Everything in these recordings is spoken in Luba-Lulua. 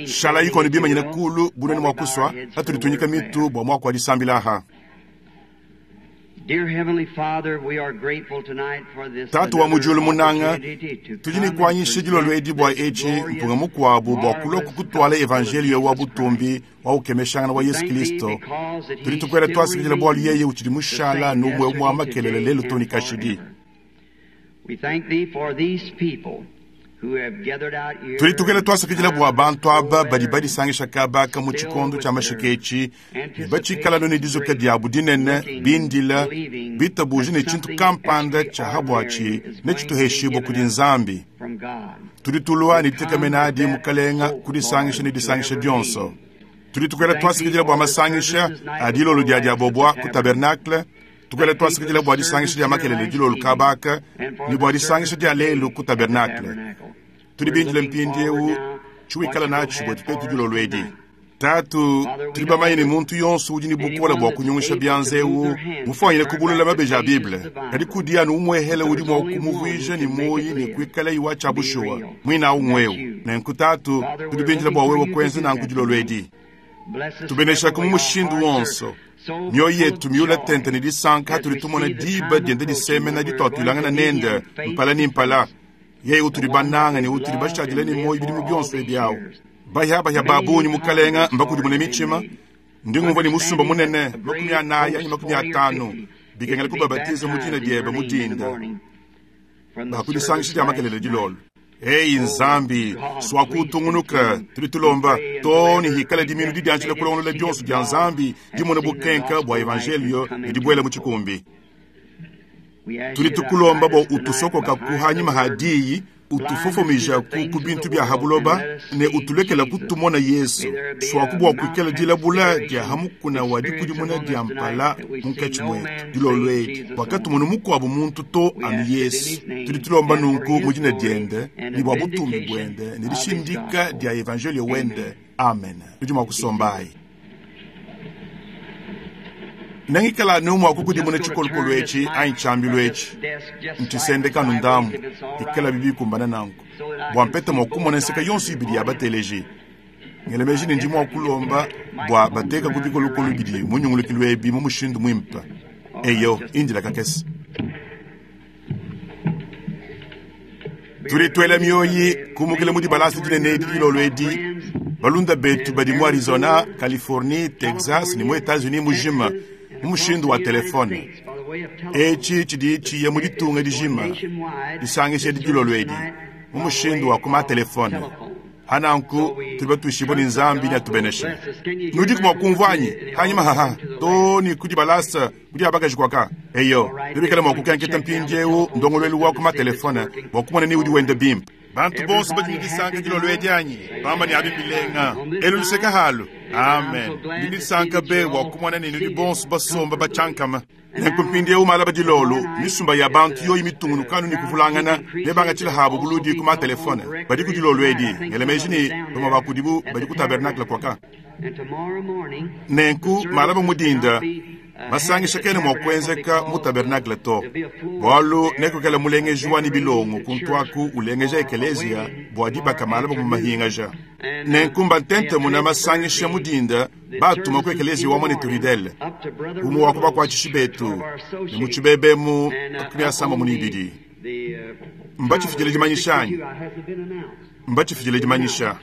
Shalayi konu bimanyine kulu bu nuenu mua kusua, patudi tuinyika mitu bua muaku wa disambila aha. Tatu wa mu diulu munanga, tudi ne kuanyisha dilolo edi bua etshi mpunga mukuabu bua kulua kukutuala evanjeliyo wa butumbi wa ukemeshangana wa Yesu Kilisto. Tudi tukuela tuasakidila bualu yeye utshidi mushala anu umue umue wa makelela lelu too ne kashidi. Tudi tukela tuasakidila bua bantu aba badi badisangisha kaba aka mu tshikondo tshia mashika etshi ne batshikala ne dizuka diabu dinene, bindila, bitabuja ne tshintu kampanda tshia ha buatshi netshituheshibue kudi Nzambi. Tudi tulua ne ditekemena adi, Mukalenga, kudisangisha ne disangisha dionso. Tudi tukuela tuasakidila bua masangisha a dilolo dia diabobua ku tabernacle. Tukuela tuasakidila bua disangisha dia makelele dilolo kaba aka ne bua disangisha dia lelu ku tabernacle. Tudi bindile mpindieu tshiwikala natshi buetu tuetu dilolo edi. Tatu, tudi bamanye ne muntu yonso udi ne bukole bua kunyungusha bianza eu mufuanyine kubulula mabeji a Bible, kadi kudi anu umuehele udi mua kumuvuija ne muoyo ne kuikalayi wa tshia bushuwa, muine au ng'wewe. Nenku Tatu, tudi bindile bua wewe kuenza nanku dilolo edi. Tubeneshaku mu mushindu wonso. Mioyo yetu miula tente ne disanka hatudi tumona diba dienda disemena dituatuilangana nende mpala ne mpala, yeye utudi banange ne utudi bashadile ne muoyo bidimu bionso ebi au. Bahiabahia ba bungi, Mukalenga, mbakudimune mitshima. Ndi ngumvua ne musumba munene, 40 anyi 50, bikengela kubabatiza mu dina diebe mu dinda ba ku disangisha dia makelela dilolo. Eyi Nzambi, suaku utungunuka, tudi tulomba, too ne hikala diminu didianjila kulongolola dionso dia Nzambi dimona bukenka bua evanjeliyo ne dibuela mu tshikumbi. Tudi tukulomba bua utusokokaku hanyima ha diyi, utufofomija ku bintu bia ha buloba, ne utulekela kutumona Yesu. Suaku bua kuikala dilabula dia ha mukuna wa dikudimuna dia mpala munkatshi muetu dilolo edi, bua katumonu mukuabu muntu to anu Yesu. Tudi tulomba nunku mu dina diende ne bua butumbi buende ne dishindika dia evanjelio wende. Amen. Nudi mua kusombayi. Nengikala anu mua kukudimuna tshikolokolo etshi anyi tshiambilu etshi ntshisendeka anu ndambu, bikalabi bikumbana nanku, bua mpete mua kumona nseka yonso ibidi ya bateleji. Ngela meji ne ndi mua kulomba bua batekaku bikolokolo bidi mu nyungulukilu ebi mu mushindu muimpe. Eyo, indila kakese. Tudi tuela mioyi kumukila mu dibalasa dinene edi dilolo edi. Balunda betu badi mu Arizona, Californie, Texas ne mu Etats-Unis mujima mu mushindu wa telefone. Etshi tshidi tshiya mu ditunga dijima disangisha edi dilolo edi mu mushindu wa ku ma-telefone. Pa nanku tudi batuishibue ne Nzambi neatubeneshe. Nudiku mua kumvua anyi? Hanyima haha too ne ku dibalasa ku dia bakaji kuaka. Eyo, nebikale mua kukenketa mpindieu ndongoluelu wa ku ma-telefone bua kumona ni udi wenda bimpe. Bantu bonso badi ne disanka dilolo edi anyi? Bamba ne, Abi mbilenga. Elu luseke halu. Amen. Ndi ne disanka be bua kumona ne nudi bonso basomba batshiankama. Nenku mpindieu malaba dilolo, misumba ya bantu yoyi mitungunuka anu ne kuvulangana, nebangatshile habu buludi ku ma-telefone. Badi ku dilolo edi, ngela meji ne, bamue ba kudibu badi ku tabernakle kuaka. Nenku malaba mu dinda, masangisha kena mua kuenzeka mu tabernakle to, bualu nekuikale mulengeji wa ne bilongo kuntu aku ulengeja ekeleziya bua dibaka malaba mu mahingaja. Nenku mbantentemuna masangisha mu dinda batuma ku ekeleziya wa muanetu Ruddell, umue wa ku bakuatshishi betu, ne mu tshibebe mu 32. Mbatshifidile dimanyisha anyi? Mbatshifidile dimanyisha.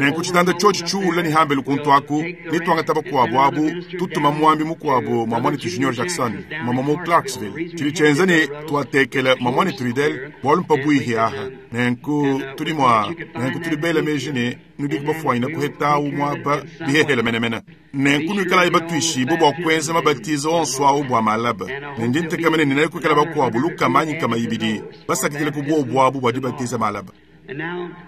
Nenku tshitanda tshiotshi tshiula ne hambelu kuntu aku, netuangata bakuabu abu, tutuma muambi mukuabu mua muanetu Junior Jackson, mama mu Clarksville. Tshidi tshienza ne tuatekela mua muanetu Ruddell bualu mpabuihi aha. Nenku tudi mua, nenku tudi bela meji ne nudi bafuanyina kuhetawu muaba bihehele menemene. Nenku nuikalayi batuishibue bua kuenza mabatizo onso au bua malaba, ne ndi ntekemena ne nekuikala bakuabu lukama anyi nkama ibidi basakidile ku buobu abu bua dibatiza malaba.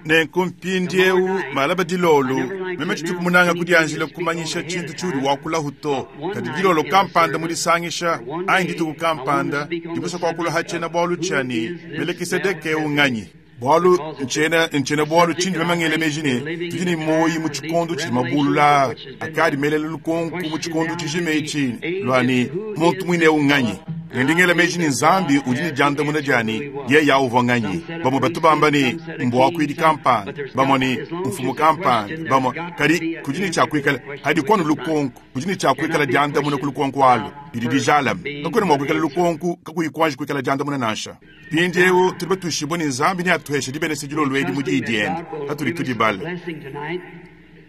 Nenku mpindieu malaba dilolo, meme tshituku munanga kudianjila kumanyisha tshintu tshiudi wakulahu to, kadi dilolo kampanda mu disangisha anyi dituku kampanda ndi musue kuakula ha tshiena-bualu tshia ne, Melekisedeke eu nganyi? Bualu ntshiena ntshiena bualu tshindi meme ngela meji ne, tudi ne muoyo mu tshikondo tshidi mabulula aa akadi melele lukonko mu tshikondo tshijima etshi lua ne, muntu muine eu nganyi? Ne ndi ngela meji ne Nzambi udi ne diandamuna dia ne, Yeye awu uvua nganyi? Bamue batu bamba ne, Mbuakuidi kampanda, bamue ne, Mfumu kampanda, bamue. Kadi kudi ne tshia kuikala, padiku anu lukonko, kudi ne tshia kuikala diandamuna ku lukonko alu didi dijalame. Kakuena mua kuikala lukonko kakuyi kuanji kuikala diandamuna nansha. Mpindieu tudi batuishibue ne, Nzambi neatuheshe dibenesha dilolo edi mu Diyi diende patudi tudibala.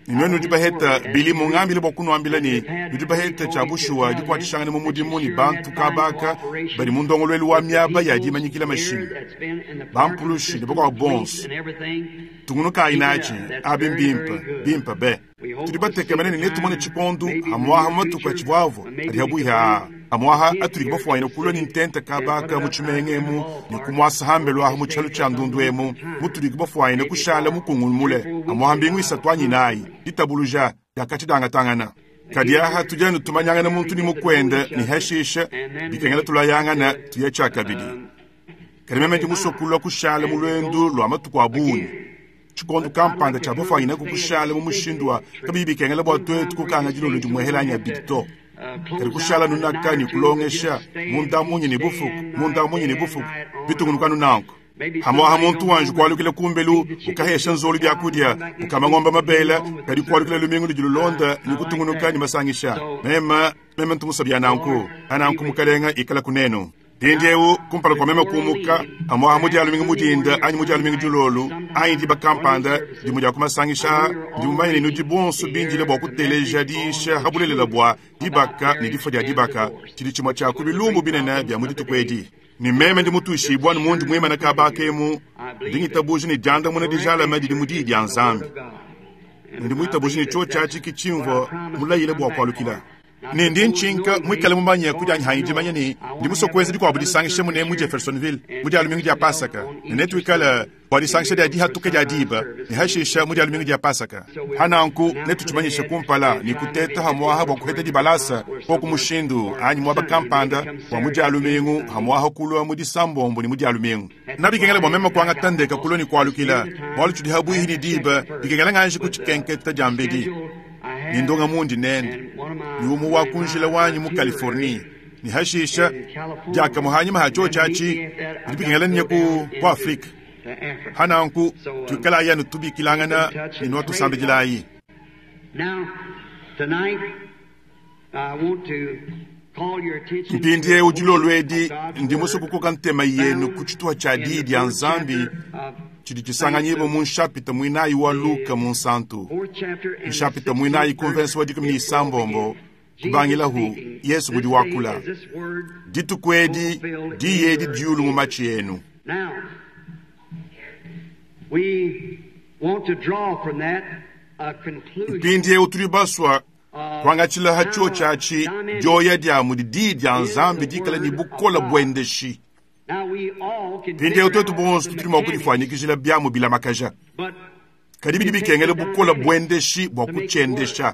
Ne nuenu nudi baheta, Billy mungambile bua kunuambila ne, nudi baheta tshia bushuwa dikuatshishangana mu mudimu ne bantu kaba aka badi mu ndongoluelu wa miaba ya dimanyikila mashinyi, bampulushi ne bakuabu bonso. Tungunukayi natshi, abi mbimpe, bimpe be. Tudi batekemene ne netumone tshikondu hamuaha mu matuku atshivuavua adi habuihi aa, hamuaha atudi bafuanyine kulua ne ntenta kaba aka mu tshimenga emu ne kumuasa hambelu aha mu tshialu tshia ndundu emu, mutudi bafuanyine kushala mukungulu mule hamuaha mbingu isatu anyi inayi. Ditabuluja diakatshia diangatangana. Kadi aha tudi anu tumanyangana muntu ne mukuende ne hashishe bikengela tulayangana tuya tshiakabidi. Kadi meme ndi musue kulua kushala mu luendu lua matuku a bungi. Tshikondo kampanda tshia bafuanyinaku kushala mu mushindu wa kabiyi bikengela bua tuetu kukanga dilolo dimuehela anyi abidi to. Kadi kushala nunaka ne kulongesha munda munya ne bufuku, munda munya ne bufuku, bitungunuka anu nanku. Hamuaha muntu wanji kualukila kumbelu, ukahesha nzolu biakudia, ukama ngombe mabela, kadi kualukila lumingu ludi lulonda ne kutungunuka ne masangisha. Meme, meme ntu musue bia nanku. Pananku Mukalenga ikalaku nenu. Mpindieu, kumpala kua meme kumuka, pamu'apa mu Dia lumingu mu dinda anyi mu Dia lumingu dilolo anyi diba kampanda, dimue dia ku masangisha aa, ndi mumanye ne nudi bonso bindile bua kuteleja diyisha pa bulelela bua dibaka ne difua dia dibaka, tshidi tshimue tshia ku bilumbu binene bia mu dituku edi. Ne meme ndi mutuishibue anu mundi muimane kaba aka emu, ndi ngitabuja ne diandamuna dijalame didi mu Diyi dia Nzambi. Ne ndi muitabuje ne tshiotshi atshi ke tshimvua mulayile bua kualukila. Ne ndi ntshinka muikale mumanye ku dianyi hanyi dimanya ne ndi musue kuenza dikuabu disangisha mune mu Jeffersonville mu dia lumingu dia Pasaka, ne netuikale bua disangisha dia dihatuka dia diba, ne hashisha mu dia lumingu dia Pasaka. Ha nanku netutshimanyishe kumpala ne kuteta hamuaha bua kuheta dibalasa koku mushindu anyi muaba kampanda bua mu dia lumingu hamuaha kulua mu disambombo ne mu dia lumingu. Nabikengela bua meme kuangata ndeka kulua ne kualukila, bualu tshidi habuihi ne diba, bikengela nganji kutshikenketa diambedi. Ne ndonga mundi nende ne umue wa ku njila wanyi mu Californie, ne hashisha diakamue hanyima ha tshiotshi atshi bidi bikengela nye ku ku Afrika. Ha nanku tuikalayi anu tubikilangana ne nuatusambidilayi. Mpindieu dilolo edi ndi musue kukoka ntema yenu ku tshituha tshia Diyi dia Nzambi tshidi tshisanganyibua mu nshapita muinayi wa Luka Munsantu, nshapita muinayi ku mvensa wa dikumi ne isambombo kubangilahu. Yesu udi wakula dituku edi, diyi edi diulu mu matshi enu. Mpindieu tudi basua kuangatshila ha tshiotshi atshi dioya dia mudi Diyi dia Nzambi dikale ne bukole buendeshi. Mpindieu tuetu bonso tudi mua kudifuanyikijila biamu bilamakaja, kadi bidi bikengela bukole buendeshi bua kutshiendesha.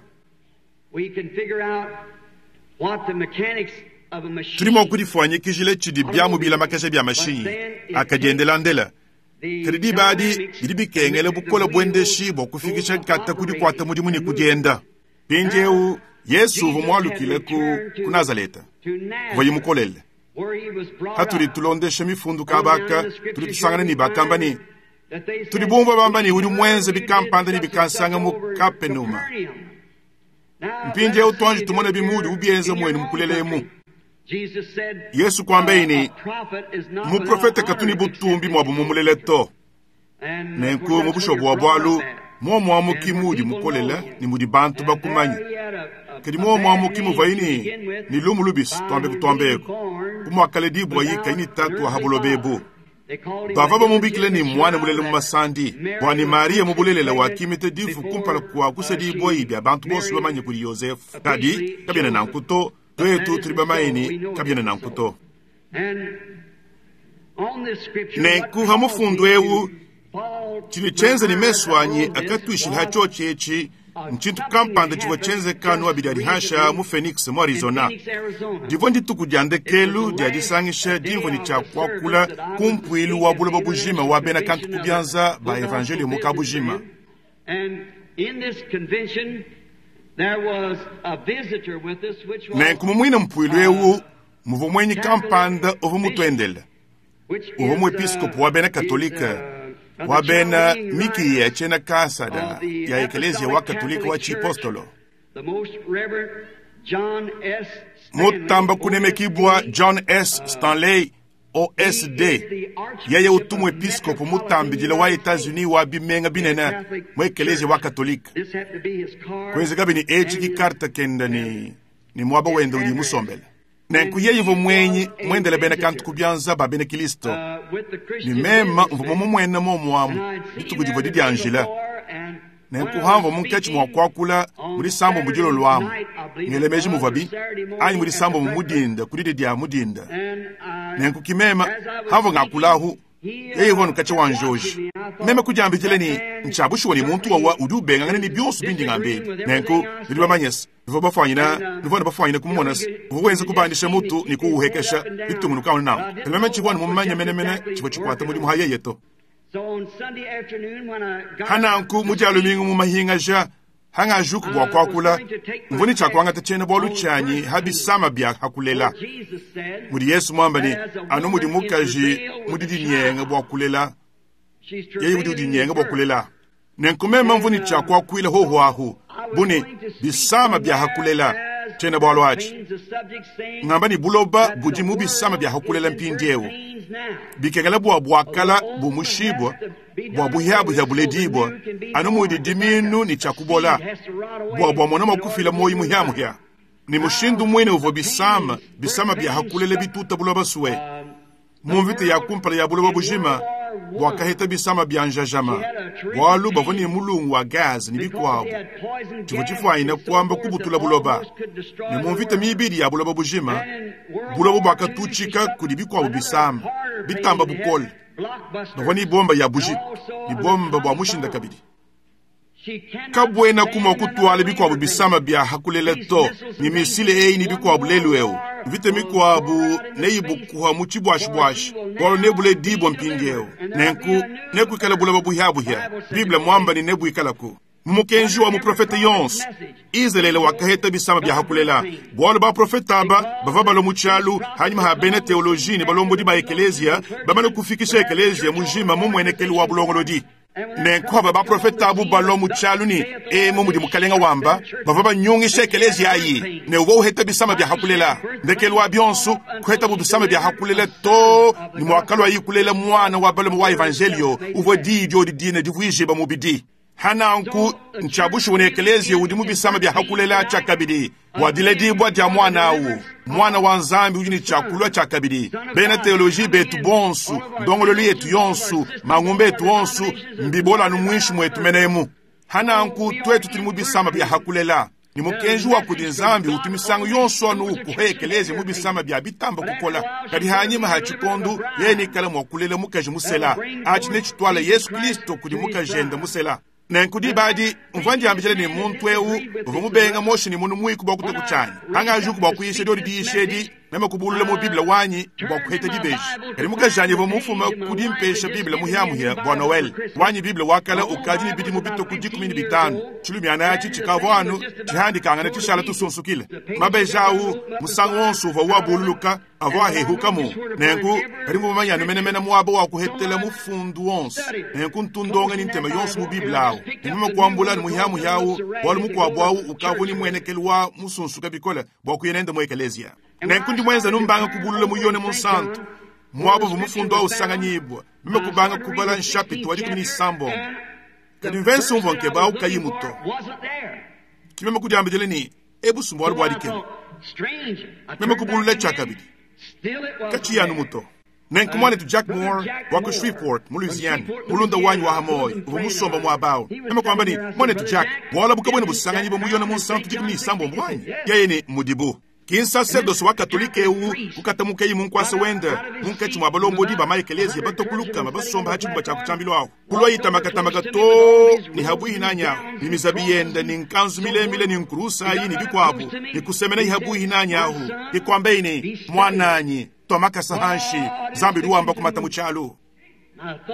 Tudi mua kudifuanyikijila tshidi biamu bilamakaja bia mashinyi akadiendelandela, kadi diba adi bidi bikengela bukole buendeshi bua kufikisha nkata ku dikuata mudimu ne ku dienda. Mpindieu Yesu uvua mualukile ku, ku Nazaleta kuvuaye mukolele. Patudi tulondesha mifundu kaba aka, tudi tusangana ne bakamba ne, Tudi bumvua bamba ne udi muenze bikampanda ne bikansanga mu Kapenuma. Mpindieu tuanji tumone bimuudi ubienza muenu mukulela emu. Yesu kuambaye ne, Muprofete katu ne butumbi muabu mumulele to. Nenku mu bushuwa bua bualu, muomu amu ki muudi mukolela ne mudi bantu bakumanye. Kadi muomu amu ki muvuaye ne, ne lumu lubi, tuambe kutuamba eku, bu muakaledibuaye kayi ne tatu wa ha buloba ebu. Bavua bamubikila ne muana mulela mu masandi, bua ne Mariya mu bulelela wakimita difu kumpala kua kusedibuayi bia bantu bonso bamanye kudi Yozefe. Kadi kabiena nanku to, tuetu tudi bamanye ne kabiena nanku to. Nenku ha mufundu eu, tshidi tshienza ne mesu anyi akatuishila ha tshiotshi etshi ntshintu kampanda tshivua tshienzeka anu abidi adi hansha mu Phoenix mu Arizona. Divua ndituku dia ndekelu dia disangisha dimvua ne tshia kuakula ku mpuilu wa buloba bujima wa bena kantu ku bianza ba evanjeliyo mu kabujima. Nenku mu muine mpuilu eu, Muvua mwenyi kampanda uvua mutuendele, uvua muepiskopo wa bena Katolike wa bena mikiya ya tshiena Kasada ya Ekeleziya wa Katolike wa tshipostolo, mutamba kunemekibua John S. Stanley OSD. Yeye utu muepiskopo mutambidile wa Etats-Unis wa bimenga binene mu Ekeleziya wa Katolike. Kuenzekabi ne etshi ki karte kende ne muaba wende udi musombele. Nenku yeye uvua mwenyi muendele bena kantu ku bianza ba bena Kilisto, ne meme mvua mumuene muomu amu dituku divua didianjila. Nenku hamvua munkatshi mua kuakula mu disambombo dilolo amu, ngele meji muvuabi, anyi mu disambombo mu dinda ku didi dia mu dinda. Nenku ki meme hamvua ngakulahu, yeye uvua nukatshia wa njoji. Meme kudiambidila ne, ntshia bushuwa ne muntu wawa udi ubengangana ne bionso bindi ngamba ebi. Nenku nudi bamanye se, nuvua bafwanyina, nuvua ne bafwanyina kumumona se, uvua wenza kubandisha mutu ne kuwuhekesha bitungunuka anu nanku. Kadi meme tshivua anu mumanye menemene tshivua tshikuata mudimu ha yeye to. Ha nanku mu dia lumingu mu mahingaja, hangajuku bua kuakula, mvua ne tshia kuangata tshiena-bualu tshianyi ha bisama bia ha kulela. Mudi Yesu muamba ne, anu mudi mukaji mudi dinyenga bua kulela, yeye udi udinyenga bua kulela. Nenku meme mvua ne tshia kuakuila hoho ahu, bu ne bisama bia ha kulela, tshiena-bualu atshi. Ngamba ne buloba budi mu bisama bia ha kulela mpindieu. Bikengela bua buakala bumushibua, bua buhiabuhia buledibua, anu mudi diminu ne tshia kubola, bua bua mona mua kufila muoyo muhiamuhia. Ne mushindu muine uvua bisama, bisama bia ha kulela bituta buloba sue. Mu mvita ya kumpala ya buloba bujima, buakaheta bisama bia njajama, bualu bavua ne mulungu wa gaz ne bikuabu, tshivua tshifuanyine kuamba kubutula buloba. Ne mu mvita mibidi ya buloba bujima, buloba buakatutshika kudi bikuabu bisama bitamba bukole. Bavua ne bomba ya bujitu ne bomba bua mushinda kabidi. Kabuenaku mua kutuala bikuabu bisama bia hakulela to, ne misile eyi ne bikuabu lelu eu. Mvita mikuabu neyibukuha mu tshibuashibuashi, bualu nebuledibua mpindieu. Nenku nekuikale buloba buhiabuhia. Bible muamba ne nebuikalaku. Mu mukenji wa muprofete yonso, Izalele wakaheta bisama bia hakulela, bualu baprofete aba bavua balua mu tshialu hanyima ha bena teoloji ne balombodi ba ekeleziya bamane kufikisha ekeleziya mujima mu muenekelu wa bulongolodi. Nenku aba baprofete abu balua mu tshialu ne emu mudi mukalenga wamba, bavua banyungisha ekeleziya ayi ne uvua uheta bisama bia hakulela. Ndekelu wa bionso kuhetabu bisama bia hakulela to ne muakaluayi kulela muana wa balume wa evanjelio uvua diyi diodi dine divuijibua mubidi. Hananku ntshia bushuwa ne ekeleziya udi mu bisama bia hakulela tshiakabidi bua diledibua dia muana au, muana wa Nzambi udi ne tshiakulua tshiakabidi. Bena teoloji betu bonsu, ndongoluelu yetu yonsu, mangumba etu onsu mbibola anu muinshi muetu menemu. Hananku tuetu tudi mu bisama bia hakulela, ne mukenji wa kudi Nzambi utu misangu yonso anu ukuha ekeleziya mu bisama bia bitamba kukola. Kadi hanyima ha tshikondu yeye nikala mua kulela mukaji musela, atshi netshituala Yesu Kristo kudi mukajende musela. Nenku diba adi mvua ndiambidila ne muntu eu uvua mubenga Moshe ne munu muiku bua kutua ku tshianyi. Hangajuku bua kuyisha diodi diyisha edi, meme kubulula mu Bible wanyi bua kuheta dibeji. Kadi mukajanyi uvua mufuma ku dimpesha Bible muhiamuhia bua Noel. Wanyi Bible wa kale ukadi ne bidimu bitue ku 15. Tshilumiana atshi tshikavua anu tshihandikangana tshishala tusunsukile. Mabeji au musangu wonso uvua wabululuka avua ahehukamu. Nenku kadi mvua mumanye anu menemene muaba wa kuhetela mufundu wonso. Nenku ntundonga ne ntema yonso mu Bible au. Ne meme kuambula anu muhiamuhia au, bualu mukuabu au ukavua ne muenekelu wa musunsuka bikole bua kuya nende mu ekeleziya. Nenku ndi muenza anu mbanga kubulula mu Yone Munsantu, muaba uvua mufundu au usanganyibua, meme kubanga kubala nshapita wa 16. Kadi mvese umvua nkeba au kayimu to. Ki meme kudiambidila ne, ebu mbualu bua dikema. Meme kubulula tshiakabidi, katshiyi anu muto. Nenku muanetu Jack Moore wa ku Shreveport mu Louisiana, mulunda wanyi wa hamoyo, uvua musomba muaba au. Meme kuamba ne, muanetu Jack, bualu abu kabuena busanganyibua mu Yone Munsantu 16 anyi? Yeye ne, mudibu. Ki nsacerdoce wa Katolike eu kukatamukeyi mu nkuasa wende munkatshi mua balombodi ba maekeleziya batokuluka basomba ha tshibumba tshia kutshiambilu ahu. Kulua itamakatamaka to ne habuihi nanyi ahu, ne mizabi yende ne nkanzu milemile ne nkurusa ayi ne bikuabu, ne kusemenayi habuihi nanyi ahu, ne kuambayi ne, muananyi, tua makasa hanshi, Nzambi udi wamba kumata mu tshialu.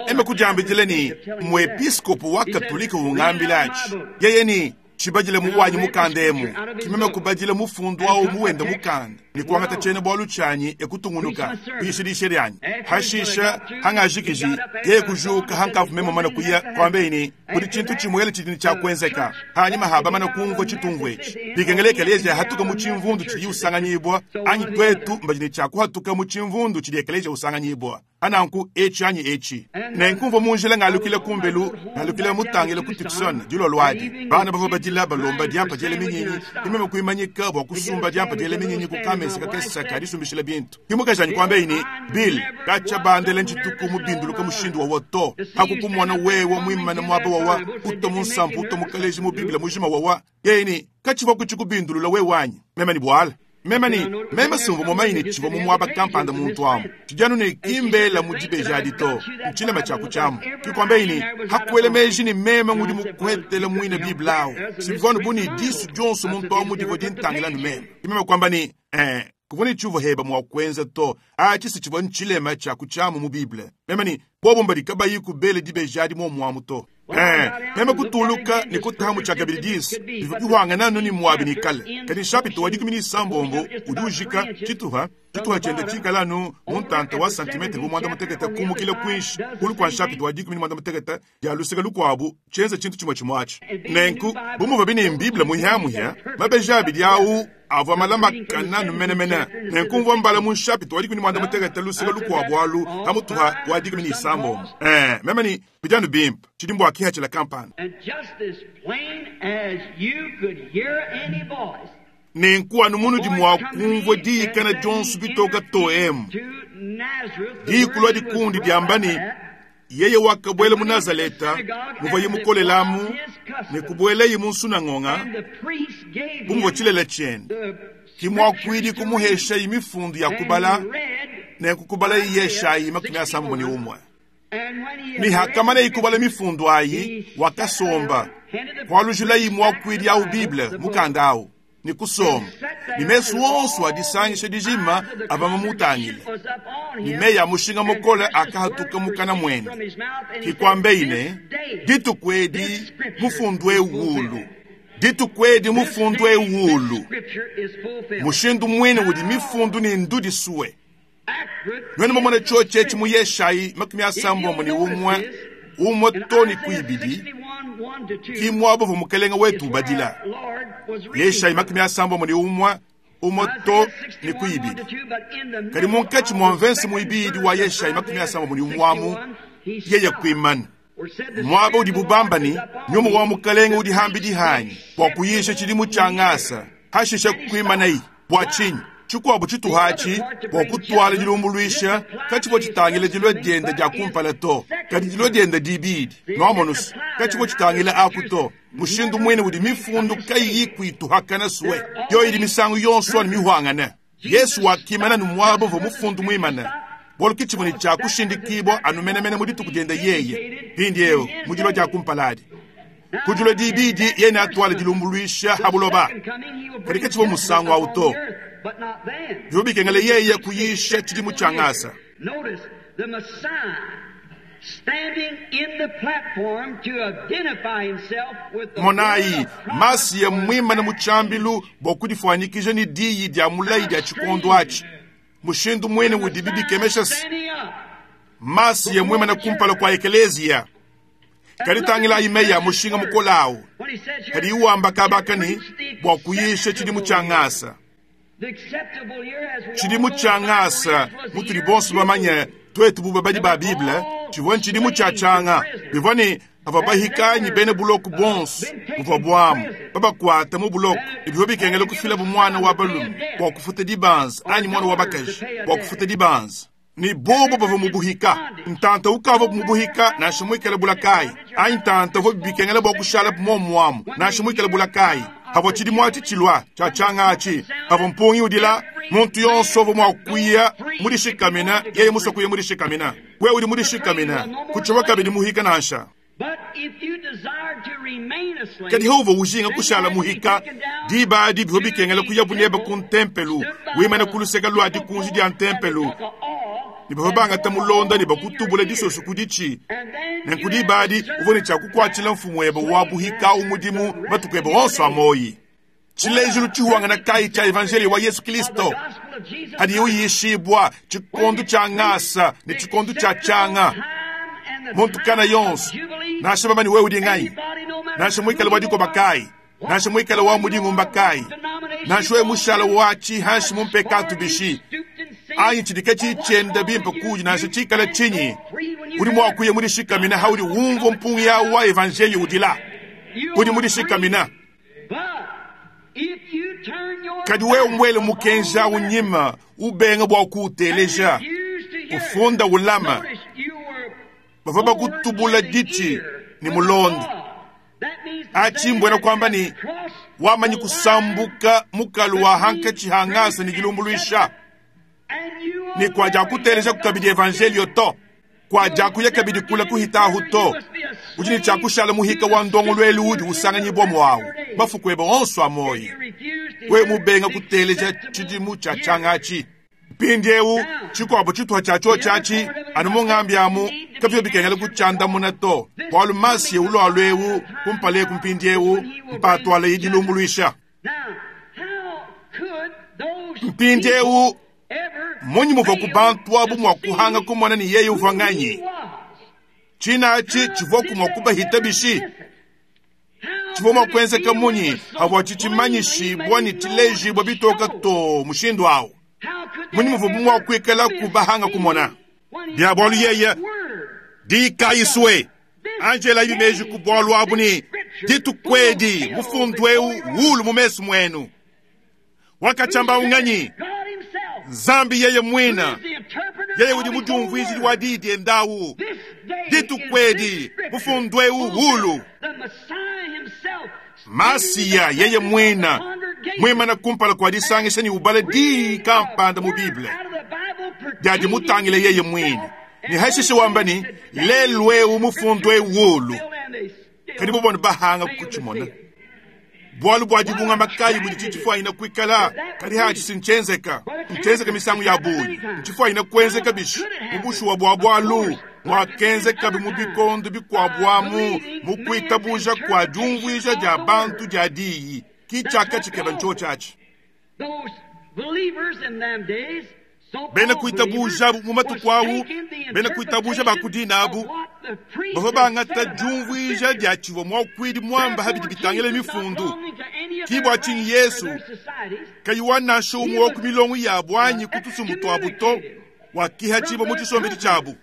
Eme kudiambidila ne, muepiskopo wa Katolike ungambilatshi, yeye ne, tshibadile mu wanyi mukanda emu, ki meme kubadila mufundu au mu wende mukanda. Ne kuangata tshiena-bualu tshianyi e kutungunuka kuyisha diyisha dianyi. Hashisha, hangajikiji, yeye kujuka hankavu meme mumane kuya, kuambeyi ne, Kudi tshintu tshimuele tshidi ne tshia kuenzeka hanyima ha bamane kumvua tshitungu etshi. Bikengela ekeleziya ahatuke mu tshimvundu tshidiye usanganyibua, anyi tuetu mbadi ne tshia kuhatuka mu tshimvundu tshidi ekeleziya usanganyibua. Pananku, etshi anyi etshi. Nenku mvua mu njila ngalukila kumbelu, ngalukila mutangile ku Tucson dilolo adi. Bana bavua badila balomba diampa diela minyinyi, ke meme kuimanyika bua kusumba diampa diela minyinyi ku kamesa kakese ka disumbishila bintu. Ke mukajanyi kuambaye ne, Bill, katshia bandela ntshituku mubinduluke mushindu wawa to. Hakukumona wewe muimane muaba wawa, utua mu nsampu utua mu kaleji mu Bible mujima wawa. Yeye ne, Katshivuaku tshikubindulula wewe anyi? Meme ne, Buala. Meme ne, Meme simvua mumanye ne tshivua mu muaba kampanda muntu amu. Tshidi anu ne ki mbela mu dibeji adi to. Ntshilema tshia ku tshiamu. Ke kuambaye ne, Hakuela meji ne meme ngudi mukuetele muine Bible awu. Sivua anu bu ne disu dionso muntu amu divua dintangila anu meme. Ke meme kuamba ne, Ee, kuvua ne tshiuvua heba mua kuenza to. Atshi si tshivua ntshilema tshia ku tshiamu mu Bible. Meme ne, Bobu mbadi kabayiku bele dibeji adi muomu amu to. Ee, meme kutuluka ne kutahamu tshiakabidi disu bivua bihuangana anu ne muabi ne kale. Kadi nshapita wa 16 udi ujika tshituha, tshituha tshiende tshikala anu mu ntanta wa santimetre bu muanda-mutekete kumukila kuinshi kulu kua nshapita wa 16 dia luseke lukuabu, tshienza tshintu tshimue tshimue atshi. Nenku, bu muvuabi ne m'Bible muhiamuhia, mabeji abidi au avua malamakane anu menemene. Nenku mvua mbala mu nshapita wa 16 luseke lukuabu alu pamutu pa wa 16. Ee, meme ne, Bidi anu bimpe. Tshidi mbua kihatshila kampanda. Nenku anu munudi mua kumvua diyikana dionso bitoka too emu, diyi kulua dikundi diamba ne, Yeye wakabuela mu Nazaleta muvuaye mukolelamu ne kubuelaye mu nsunangonga bu muvua tshilele tshiende. Ke muakuidi kumuheshaye mifundu ya kubala, nenku kubalaye Yeshayi 61. Ne hakamaneye kubala mifundu ayi, wakasomba, kualujilayi muakuidi au Bible, mukanda au, ne kusomba, ne mesu onso a disangisha dijima avua mamutangile, ne meyi a mushinga mukole akahatuka mukana muende. Ke kuambeyi ne, Dituku edi mufundu eu ulu. Dituku edi mufundu eu ulu. Mushindu muine udi mifundu ne ndudisue. Nuenu bamone tshiotshi etshi mu Yeshayi 61, umue too ne ku ibidi, ki muaba uvua Mukelenge wetu ubadila. Yeshayi 61, umue too ne ku ibidi. Kadi munkatshi mua mvense muibidi wa Yeshayi 61 amu, yeye kuimana. Muaba udibu bamba ne, Nyuma wa Mukelenge udi hambidi hanyi bua kuyisha tshidimu tshia ngasa, hashishe kuimanayi. Bua tshinyi? Tshikuabu tshituha atshi bua kutuala dilumbuluisha katshivua tshitangila dilua diende dia kumpala to, kadi dilua diende dibidi. Nuamonu's, katshivua tshitangila aku to. Mushindu muine udi mifundu kayiyi kuituhakana sue, yoyi idi misangu yonso anu mihuangane. Yesu wakimana anu muaba uvua mufundu muimane, bualu ke tshivua ne tshia kushindikibua anu menemene mu dituku diende yeye, mpindieu mu dilua dia kumpala adi. Ku dilua dibidi yeye neatuale dilumbuluisha ha buloba, kadi katshivua musangu au to. Bivua bikengela yeye kuyisha tshidimu tshia ngasa. Monayi, Masiya mmuimane mu tshiambilu bua kudifuanyikija ne diyi dia mulayi dia tshikondo atshi. Mushindu muine udibi bikemesha se, Masiya mmuimane kumpala kua ekeleziya. Kadi tangilayi meyi a mushinga mukole au padiye wamba kaba aka ne, bua kuyisha tshidimu tshia ngasa. Tshidimu tshia ngasa, mutudi bonso bamanye tuetu bu babadi ba Bible, tshivua ntshidimu tshia tshianga. Bivua ne, pavua bahika anyi bena buloko bonso buvua buamu babakuata mu buloko, ne bivua bikengela kufilabu muana wa balume bua kufuta dibanza anyi muana wa bakaji bua kufuta dibanza. Ne bobo bavua mu buhika, ntanta ukavua mu buhika nansha muikale bula kayi, anyi ntanta uvua bikengela bua kushalapu muomu amu nansha muikale bula kayi. Pavua tshidimu atshi tshilua tshia tshianga atshi, pavua mpungi udila, muntu yonso uvua mua kuya mudishikamina yeye musue kuya mudishikamina. Wewe udi mudishikamina, kutshivua kabidi muhika nansha. Kadi hauvua ujinga kushala muhika, diba adi bivua bikengela kuyabu nebe ku ntempelu, wimana ku luseke lua dikunji dia ntempelu, ne bavua bangata mulonda ne bakutubula disoso ku ditshi. Nenku diba adi uvua ne tshia kukuatshila mfumuebe wa buhika au mudimu matuku ebe onso a muoyi. Tshilejilu tshihuangana kayi tshia Evanjeliyo wa Yesu Kilisto? Hadiye uyishibua tshikondo tshia ngasa ne tshikondo tshia tshianga. Muntu kana yonso, nansha bamani wewe udi nganyi, nansha muikale wa dikoba kayi, nansha muikale wa mudingumba kayi, nansha wewe mushala wa tshihanshi mu mpekatu bishi, anyi tshidika tshitshienda bimpe kudi nansha tshikala tshinyi, udi mua kuya mudishikamina haudi umvua mpungi yawu wa evanjeliyo udila, udi mudishikamina. Kadi wewe mwele mukenji awu nyima, ubenga bua kuuteleja, ufunda ulama, bavua bakutubula ditshi ne mulonda. Achi mbwena kwamba ni wamanyi kusambuka mukalu wa hankachi hangasa ni dilumbuluisha, ni kwaja kuteleja kukabidi evangelio to, kwaja kuya kabidi kula kuhitahu to, udi ni tshiakushala muhika wa ndongoluelu udi usanganyibwa mwawu bafukweba onso amoyi. We mubenga kuteleja tshidimu tshia tshiangachi. Mpindiewu tshikuabo tshituha tshia tshio tshiatshi anu mungambi amu kapio bikengela kutshiandamuna to, bualu masiye ulwalwa ewu kumpala eku mpindiewu mpatwala yidilumbuluisha. Mpindiewu munyi muvua ku bantu abu mua kuhanga kumona ni yeye uvua nganyi? Tshina atshi tshivua kumua kubahita bishi? Tshivua mua kuenzeka munyi havua tshitshimanyishibua ne tshilejibua bitoka to mushindu awu? Munyi muvua mua kuikala kubahanga kumona? Bia bualu yeye dikayiswe Angela ibimeji ku bualu abu ni ditukwedi mufundu ewu wulu mu mesu mwenu. Wakachamba unganyi Nzambi yeye mwina yeye udi mujumvuizili wa didi endawu ditukwedi mufundu ewu wulu. Masiya yeye mwina mwimana kumpala kwa disangisha ni ubala di kampanda mu Bible diadi mutangile yeye mwina ni hashishe wamba ni lelu ewu mufundu ewu wulu. Kadi bubona bahanga kuchimona bualu bua dibunga makayi budi tshitshifuanyina kuikala kadi hatshi sinchenzeka nchenzeka misangu ya bungi ntshifuanyina kuenzeka bishi mu bushuwa bua bualu mwakenzeka bi mu bikondo bikuabuamu mu kuitabuja kua diumvuija dia bantu dia diyi ki tshiaka tshikeba ntshio tshiatshi. Bena kuitabuja mu matuku awu, bena kuitabuja ba ku dina abu, bavua bangata diumvuija dia tshivua muakuidi muamba habidi bitangila mifundu. Ki bua tshinyi Yesu kayi wa nansha umue wa ku milongo yabu anyi ku tusumbu tuabu to, wakihatshibua mu tshisombedi tshiabu.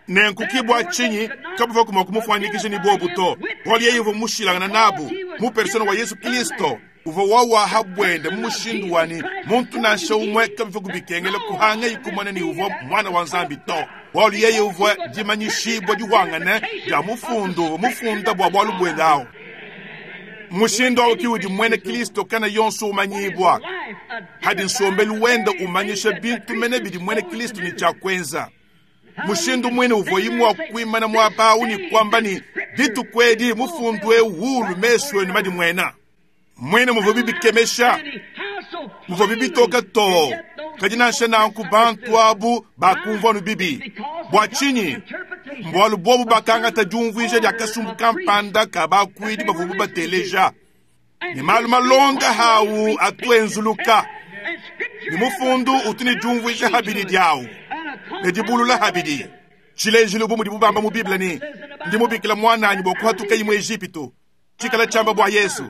Nenku ki bua tshinyi kabavua mua kumufuanyikisha ni bobu to, bualu yeye uvua mushilangana nabu mu persona wa Yesu Kristo. Uvua wawaha bwende mu mushindu wani muntu nansha umwe kabivua kubikengela kuhanga ikumona ni uvua mwana wa Nzambi to, bualu yeye uvua dimanyishibua dihwangane dia mufundu uvua mufunda bua bualu bwende awu. Mushindu awu ki udi mwene Kristo kana yonso umanyibwa hadi nsombelu wenda umanyisha bintu mene bidi mwene Kristo ni tshia kuenza. Mushindu mwene uvua imua kuimana muaba awu ni kwamba ni ditukwedi mufundu ewu wulu mesu enu madi mwena. Mwene muvua bibikemesha, muvua bibitoka to, kadi nansha nanku bantu abu bakumvua nu bibi. Bua tshinyi? Mbualu bobu bakangata diumvuija dia kasumbu kampanda ka bakuidi bavua bateleja. Ne malu malonga hawu atuenzuluka. Ne mufundu utu ne diumvuija habidi diawu, ne dibulula habidi. Tshilejilu bu mudibu bamba mu Bible ni ndi mubikila mwananyi bua kuhatuka imwe Ejipito. Tshikala tshiamba bua Yesu.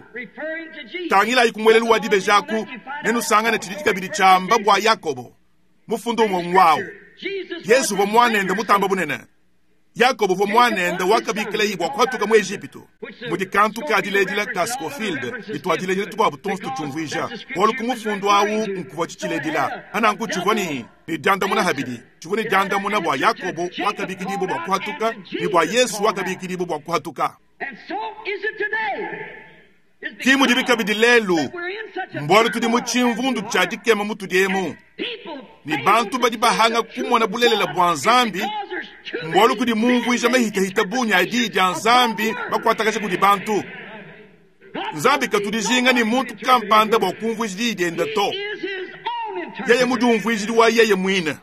Tangilayi ku muelelu wa dibejaku, nenusangane tshidi kabidi tshiamba bua Yakobo. Mufundu umwe ngwawu. Yesu uvua mwanende mutamba bunene. Yakobo uvua mwanende wakabikila bua kuhatuka mu Ejipito. Mudi kantu ka diledila ka Scofield litwadiledila tukuabu tonso tutshiumvuija. Bualu ku mufundu awu nkuvua tshitshiledila. Ananku tshivua ni diandamuna habidi. Tshivua ni diandamuna bua Yakobo wakabikidibwa bua kuhatuka ni bua Yesu wakabikidibwa bua kuhatuka. Ki mudibi kabidi lelu, mbualu tudi mu tshimvundu tshia dikema mutudi emu. Ni bantu badi bahanga kumona bulelela bua Nzambi, mbualu kudi mumvuija mahitahita bungi a diyi dia Nzambi bakuatakaja kudi bantu. Nzambi katudijinga ni muntu kampanda bua kumvuija diyi diende to. Yeye mudiumvuijidi wa yeye mwine.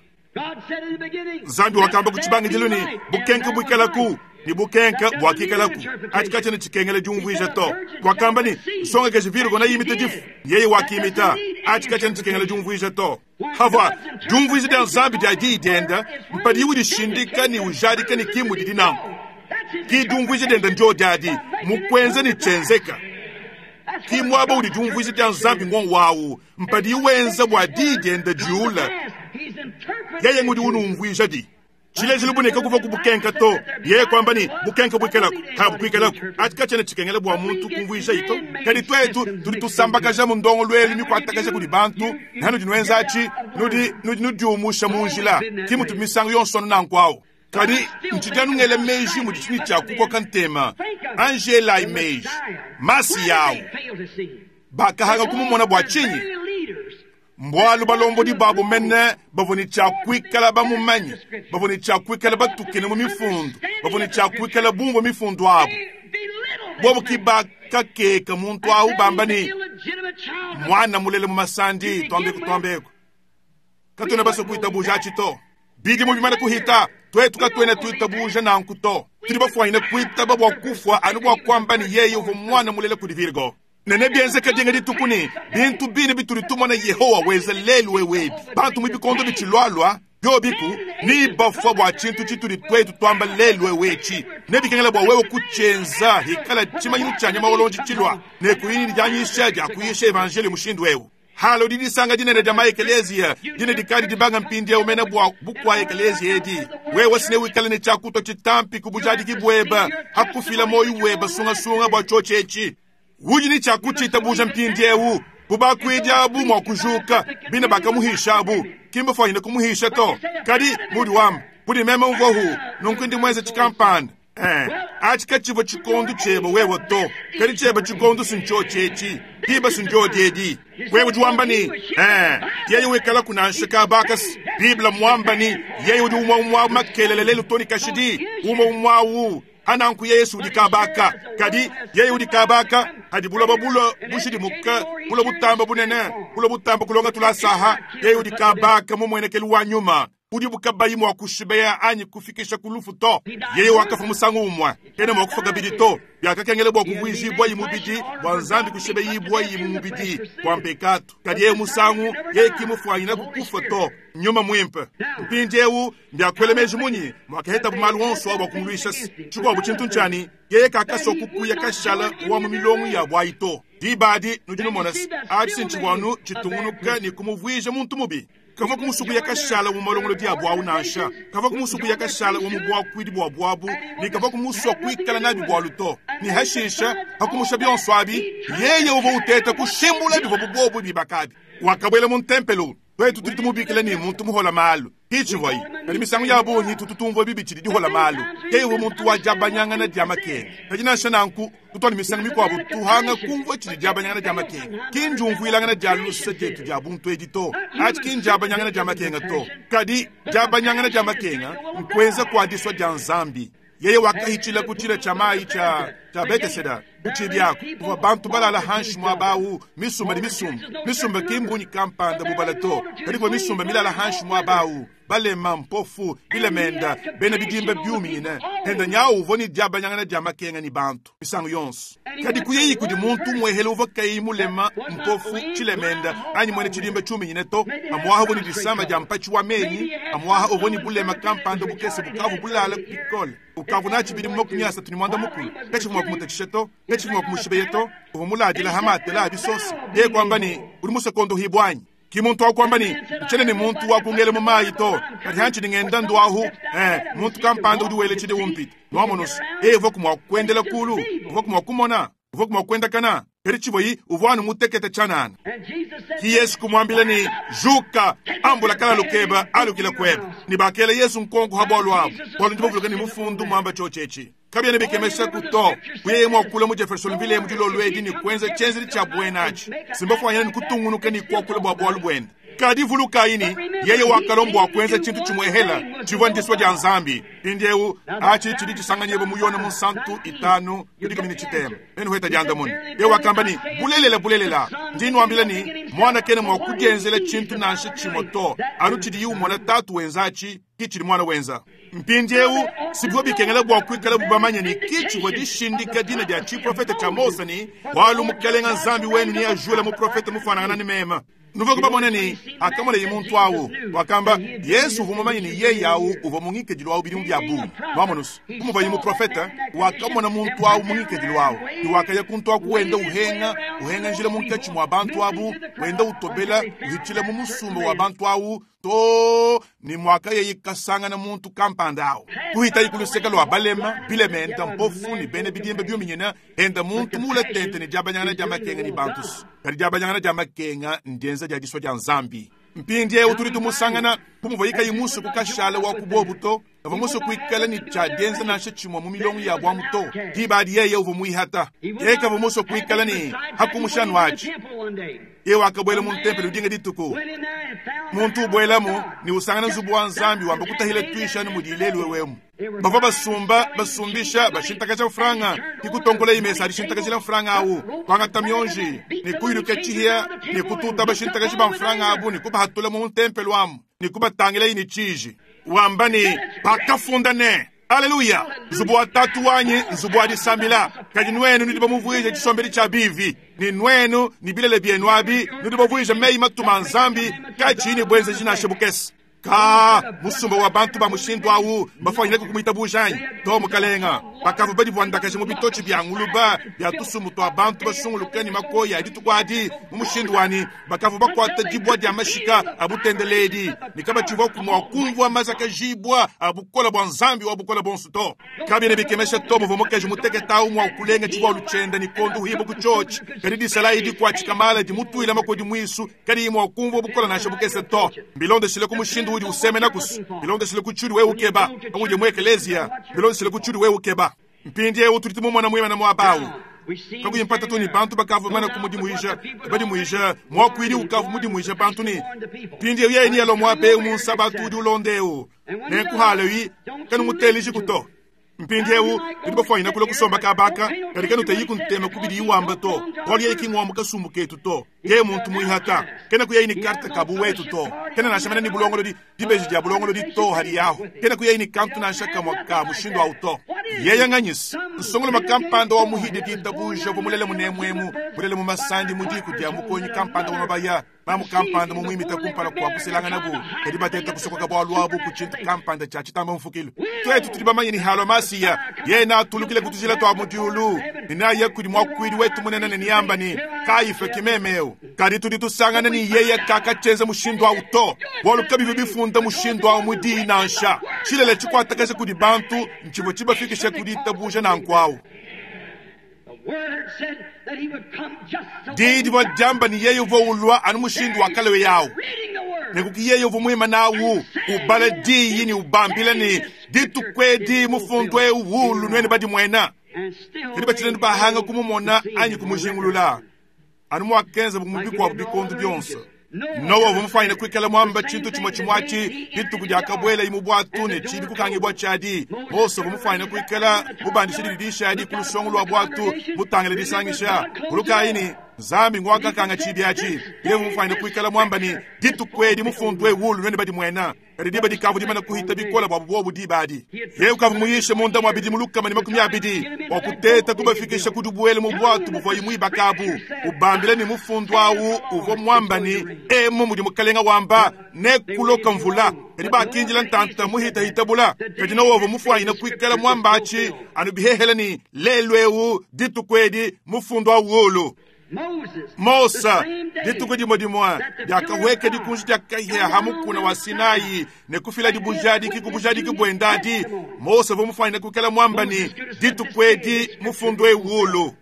Nzambi wakamba ku tshibangidilu ni bukenke buikalaku. Ne bukenka buakikalaku. Atshi katshiena tshikengela diumvuija to. Wakamba ne, Nsongakaji Virgo neimite difu. Yeye wakimita. Atshi katshiena tshikengela diumvuija to. Havua diumvuija dia Nzambi dia Diyi dienda mpadiye udishindika ne ujadika ne ki mudidi nanku. Ki diumvuija dienda ndio diadi mu kuenza ne tshienzeka. Ki muaba udi diumvuija dia Nzambi ngongo wawu mpadiye wenza bua Diyi dienda diula. Yeye ngudi unumvuija di. Tshilejilu bu ne kakuvua ku bukenka to, yeye kuamba ne, Bukenka buikalaku, kabukuikalaku. Atshi katshiena tshikengela bua muntu kumvuijayi to. Kadi tuetu tudi tusambakajamu ndongoluelu mikuatakaja kudi bantu, ne hanudi nuenza atshi, nudi, nudi nudiumusha mu njila. Ki mutu misangu yonso anu nanku awu. Kadi ntshidi anu ngela meji mudi tshinyi tshia kukoka ntema. Anji elayi meji. Masiya awu, bakahanga kumumona bua tshinyi? Mbualu balombodi babu mene bavua ne tshia kuikala bamumanye, bavua ne tshia kuikala batukine mu mifundu, bavua ne tshia kuikala bumvua mifundu abu. Bobu ki bakakeka muntu awu bamba ne, Muana mulela mu masandi, tuambeku tuambeku. Katuena basue kuitabuja atshi to. Bidimu bimane kuhita, tuetu katuena tuitabuja nanku to. Tudi bafuanyine kuitaba bua kufua anu bua kuamba ne yeye uvua muana mulela kudi Virgo. Ne nebienzeke dinga dituku ne, bintu bine bitudi tumona Yehowa wenza lelu eu ebi, bantu mu bikondo bitshilualua, biobiku, nebafua bua tshintu tshitudi tuetu tuamba lelu eu etshi. Nebikengela bua wewe kutshienza hikala tshimanyinu tshia nyama wa luonji tshilua, ne kuyi ne dianyisha dia kuyisha evanjeliyo mushindu eu. Halo di disanga dinene dia ma-ekeleziya dine dikadi dibanga mpindieu mene bua bukua-ekeleziya edi. Wewe si newikale ne tshiakutua tshitampi ku bujadiki buebe ha kufila muoyo webe sungasunga bua tshiotshi etshi. Udi ne tshia kutshitabuja mpindieu. Bu bakuidi abu mua kujuka, bine bakamuhisha abu, ki mbafuanyine kumuhisha to. Kadi, mudi wamba, budi meme mvuahu, nunku ndi muenze tshikampanda. Eh, atshi katshivua tshikondu tshiebe wewe to, kadi tshiebe tshikondu si ntshiotshi etshi, diba si ndiodi edi. Wewe udi wamba ne, eh, yeye wikalaku nansha kaba kasi. Bible muamba ne, yeye udi umue umue makelela lelu to ne kashidi, umue umue awu. Ananku Yesu udi kabaka, kadi yeye udi kabaka hadi buloba bulua bushidimuka, bulua butamba bunene, bulua butamba kulonga tulasaha. Yeye udi kabaka mu muenekelu wa nyuma udibu kabayi mua kushibeya anyi kufikisha ku lufu to. Yeye wakafua musangu umue, kena mua kufua kabidi to. Biakakengela bua kuvuijibuayi mubidi bua Nzambi kushibeyibuayi mu mubidi bua mpekatu. Kadi yeye musangu yeye ki mufuanyina ku kufua to. Nyuma Muimpe mpindieu Mbiakuela meji munyi muakahetabu malu onso a bua kumuluisha? Tshikuabu tshintu ntshia ne, yeye kakasua kukuya kashala wa mu milongo yabu ayi to. Diba adi nudi numona se, atshi si ntshivua anu tshitungunuka ne kumuvuija muntu mubi. Kavua kumusua kuya kashala mu malongolodi abu au nansha. Kavua kumusua kuya kashala wa mu buakuidi buabu abu, ne kavua kumusua kuikala nabi bualu to. Ne hashisha, pa kumusha bionso abi, yeye uvua uteta kushimbula bivua buobu bibaka abi. Wakabuela mu ntempelo. Tuetu tudi tumubikila ne, muntu muhola malu. Ki tshivuayi. Kadi misangu ya bungi tutu tumvua bibi tshidi dihola malu. Yeye uvua muntu wa diabanyangana dia makenga. Kadi nansha nanku, tutu anu misangu mikuabu tuhanga kumvua tshidi diabanyangana dia makenga. Ki ndiumvuilangana dia luse dietu dia buntu edi to. Atshi ki ndiabanyangana dia makenga to. Kadi diabanyangana dia makenga nkuenza kua disua dia Nzambi. Yeye wakahitshila ku tshila tshia mai tshia tshia Beteseda, ku tshibi aku kuvua bantu balala hanshi muaba au, misumba ne misumba. Misumba ki mbunyi kampanda bubala to, kadi kuvua misumba milala hanshi muaba au, balema, mpofu, bilemenda, bena bidimba biuminyine. Henda nyau uvua ne diabanyangana dia makenga ne bantu misangu yonso. Kadi kuyeyi kudi muntu umuehele uvua kayi mulema, mpofu, tshilemenda anyi muena tshidimba tshiuminyine to. Amuaha uvua ne disama dia mpatshi wa menyi, amuaha uvua ne bulema kampanda bukese bukavua bulala bikole, ukavua natshi bidimu 35. Katshivua mua kumutatshisha to, katshivua mua kumushibeya to. Uvua muladila ha matela a bisosa. Yeye kuamba ne, Udi musue kuondohibua anyi? Ki muntu wa kuamba ne, Ntshiena ne muntu wa kungela mu mayi to, kadi hantshidi ngenda nduahu, eh, muntu kampanda udi wela tshidi umpita. Nuamonu's, yeye uvuaku mua kuendela kulu, uvuaku mua kumona, uvuaku mua kuendakana, kadi tshivuayi uvua anu mutekete tshianana. Ki Yesu kumuambila ne, Juka, ambula kalalu kebe, alukila kuebe. Ne bakela Yesu nkonko ha bualu abu, bualu ndi bavuluka ne mufundu muamba tshiotshi etshi. Kabiena bikemeshaku to, bu yeye mua kulua mu Jeffersonville emu dilolo edi ne kuenza tshienzedi tshia buena atshi, si mbafuanyine ne kutungunuka ne kuakula bua bualu buende. Kadi vulukayi ne, yeye wakalua bua kuenza tshintu tshimuehela tshivua ndisua dia Nzambi. Mpindieu atshi tshidi tshisanganyibua mu Yone Munsantu itanu ku dikumi ne tshitema. Nenuheta diandamuna. Yeye wakamba ne, Bulelela, bulelela, ndi nnuambila ne, Muana kena mua kudienzela tshintu nansha tshimue to, anu tshidiye umona Tatu wenza atshi ki tshidi Muana wenza. Mpindieu, si bivua bikengela bua kuikalabu bamanye ne, ki tshivua dishindika dina dia tshiprofete tshia Mose ne, Bualu Mukelenge Nzambi wenu neajule muprofete mufuanangana ne meme. Nuvuaku bamone ne, pakamonaye muntu awu, wakamba, Yesu uvua mumanye ne yeye awu uvua mu ngikadilu awu bidimu bia bungi. Nwamonu's, bu muvuaye muprofete, wakamona muntu awu mu ngikadilu awu, ne wakaya kuntu aku wenda uhenga, uhenga njila munkatshi mua bantu abu, wenda utobela, uhitshila mu musumba wa bantu awu, too ne muakayaye kasangana muntu kampanda awu. Kuhitaye ku luseke lua balema, bilementa, mpofu, ne bena bidimba biuminyina, enda muntu muule tente ne diabanyangana dia makenga ne bantu. Kadi diabanyangana dia makenga ndienza dia disua dia Nzambi. Mpindieu tudi tumusangana, bu muvuaye kayi musue kukashala wa ku buobu to, kavua musue kuikala ne tshia dienza nansha tshimue mu milongo yabu amu to. Diba adi yeye uvua muihata. Yeye kavua musue kuikala ne hakumusha anu atshi. Yeye wakabuela mu ntempelo dinga dituku. Muntu ubuelamu ne usangana nzubu wa Nzambi wamba kutahila tuishi anu mudi lelu eu emu. Bavua basumba, basumbisha, bashintakaja mfranga, ne kutonkola imesa a dishintakajila mfranga awu, kuangata mionji, ne kuyuluka tshihia, ne kututa bashintakaji ba mfranga abu ne kubahatula mu ntempelo amu, ne kubatangilayi ne tshiji, wamba ne, Bakafunda ne, Aleluya! Nzubu wa Tatu wanyi nzubu wa disambila, kadi nuenu nudi bamuvuije tshisombedi tshia bivi, ne nuenu ne bilele bienu abi nudi bavuije meyi matuma a Nzambi katshiyi ne buenzeji nansha bukese. Kaa, musumba wa bantu ba mushindu au mbafuanyine kumuitabuja anyi? To, mukalenga. Bakavua badivuandakaje mu bitotshi bia nguluba bia tusumbu tua bantu basunguluke ne makoyi a dituku adi mu mushindu wa ne, bakavua bakuata dibua dia mashika a butendeledi ne kabatshivuaku mua kumvua mazakajibua a bukole bua Nzambi wa Bukole Buonso to. Kabiena bikemesha to muvua mukaji mutekete au mua kulenga tshivualu tshiende ne konduhibua ku tshiotshi, kadi disalayi dikuatshika mala dimutuila makodi muisu kadiyi mua kumvua bukole nansha bukese to. Bilondeshile ku mushindu udi usemena kusu, bilondeshile ku tshiudi wewe ukeba, paudi mu ekeleziya, bilondeshile ku tshiudi wewe ukeba. Mpindieu tudi tumumona muimane muaba au. Kakuyi mpata to ne bantu bakavua bamane kumudimuija, badimuija, muakuidi ukavua mudimuije bantu ne, Mpindieu yeye nealue muaba eu mu Nsabatu udi ulonda eu, nenku haleyi, kanumutelejiku to. Mpindiewu tudi bafuanyine kulua kusomba kaba aka, kadi kanuteyiku ntema ku bidiyi wamba to, bualu yeye ki ng'wa mu kasumbu ketu to. Yeye muntu muihata, kena kuyayi ne karte ka buwetu to, kena nansha mene ne bulongolodi, dibeji dia bulongolodi to hadiyahu, kena kuyayi ne kantu nansha kamue ka mushindu au to. Yeye nganyis, nsongoloma kampanda wa muhidi ditabuja uvua mulele munemuemu, mulele mu masandi mu diku dia mukonyi kampanda wa mabaya, Mamu kampanda mumuimita kumpala kua kuselanganabu, kadi bateta kusokoka bualu abu ku tshintu kampanda tshia tshitamba mfukilu. Tuetu tudi bamanye ne halua Masiya, yeye neatulukile ku tujila tua mu diulu ne neaye kudi muakuidi wetu munene ne neamba ne, Kayifa ki meme eu. Kadi tudi tusangana ne yeye kakatshienza mushindu au to, bualu kabivua bifunda mushindu au mu diyi nansha. Tshilele tshikuatakaja kudi bantu ntshivua tshibafikishe ku ditabuja nanku au. Diyi divua diamba ne yeye uvua ulua anu mushindu wa kalewe au. Nenku ki yeye uvua muimane au ubala diyi ne ubambila ne, Dituku edi mufundu eu ulu nuenu badimuena. Kadi batshina bahanga kumumona anyi kumujingulula. Anu muakenzabu mu bikuabu bikondo bionso, Nowa uvua mufuanyine kuikala muamba tshintu tshimue tshimue atshi dituku diakabuelaye mu buatu ne tshibi kukangibua tshiadi. Mose uvua mufuanyine kuikala mubandishe dididishi adi ku lusongo lua buatu mutangile disangisha. Vulukayi ne, Nzambi nguakakanga tshibi atshi. Yeye uvua mufuanyine kuikala muamba ne, Dituku edi mufundu eu ulu nuenu badimuena. Kadi diba dikavua dimane kuhita bikole buabu buobu diba adi. Yeye ukavua muyishe munda mua bidimu 120 bua kuteta kubafikisha ku dibuela mu buatu buvuaye muibaka abu, ubambila ne mufundu au uvua muamba ne, Emu mudi Mukalenga wamba, nekuloka mvula. Kadi bakindila ntanta muhitahita bula. Kadi Nowa uvua mufuanyine kuikala muamba atshi anu bihehele ne, Lelu eu, dituku edi, mufundu au ulu. Mose, dituku dimue dimue diakahueka dikunji dia kahia ha mukuna wa Sinai ne kufiladi bujadiki ku bujadiki buende adi, Mose uvua mufuanyine kuikala muamba ne, Dituku edi mufundu eu ulu.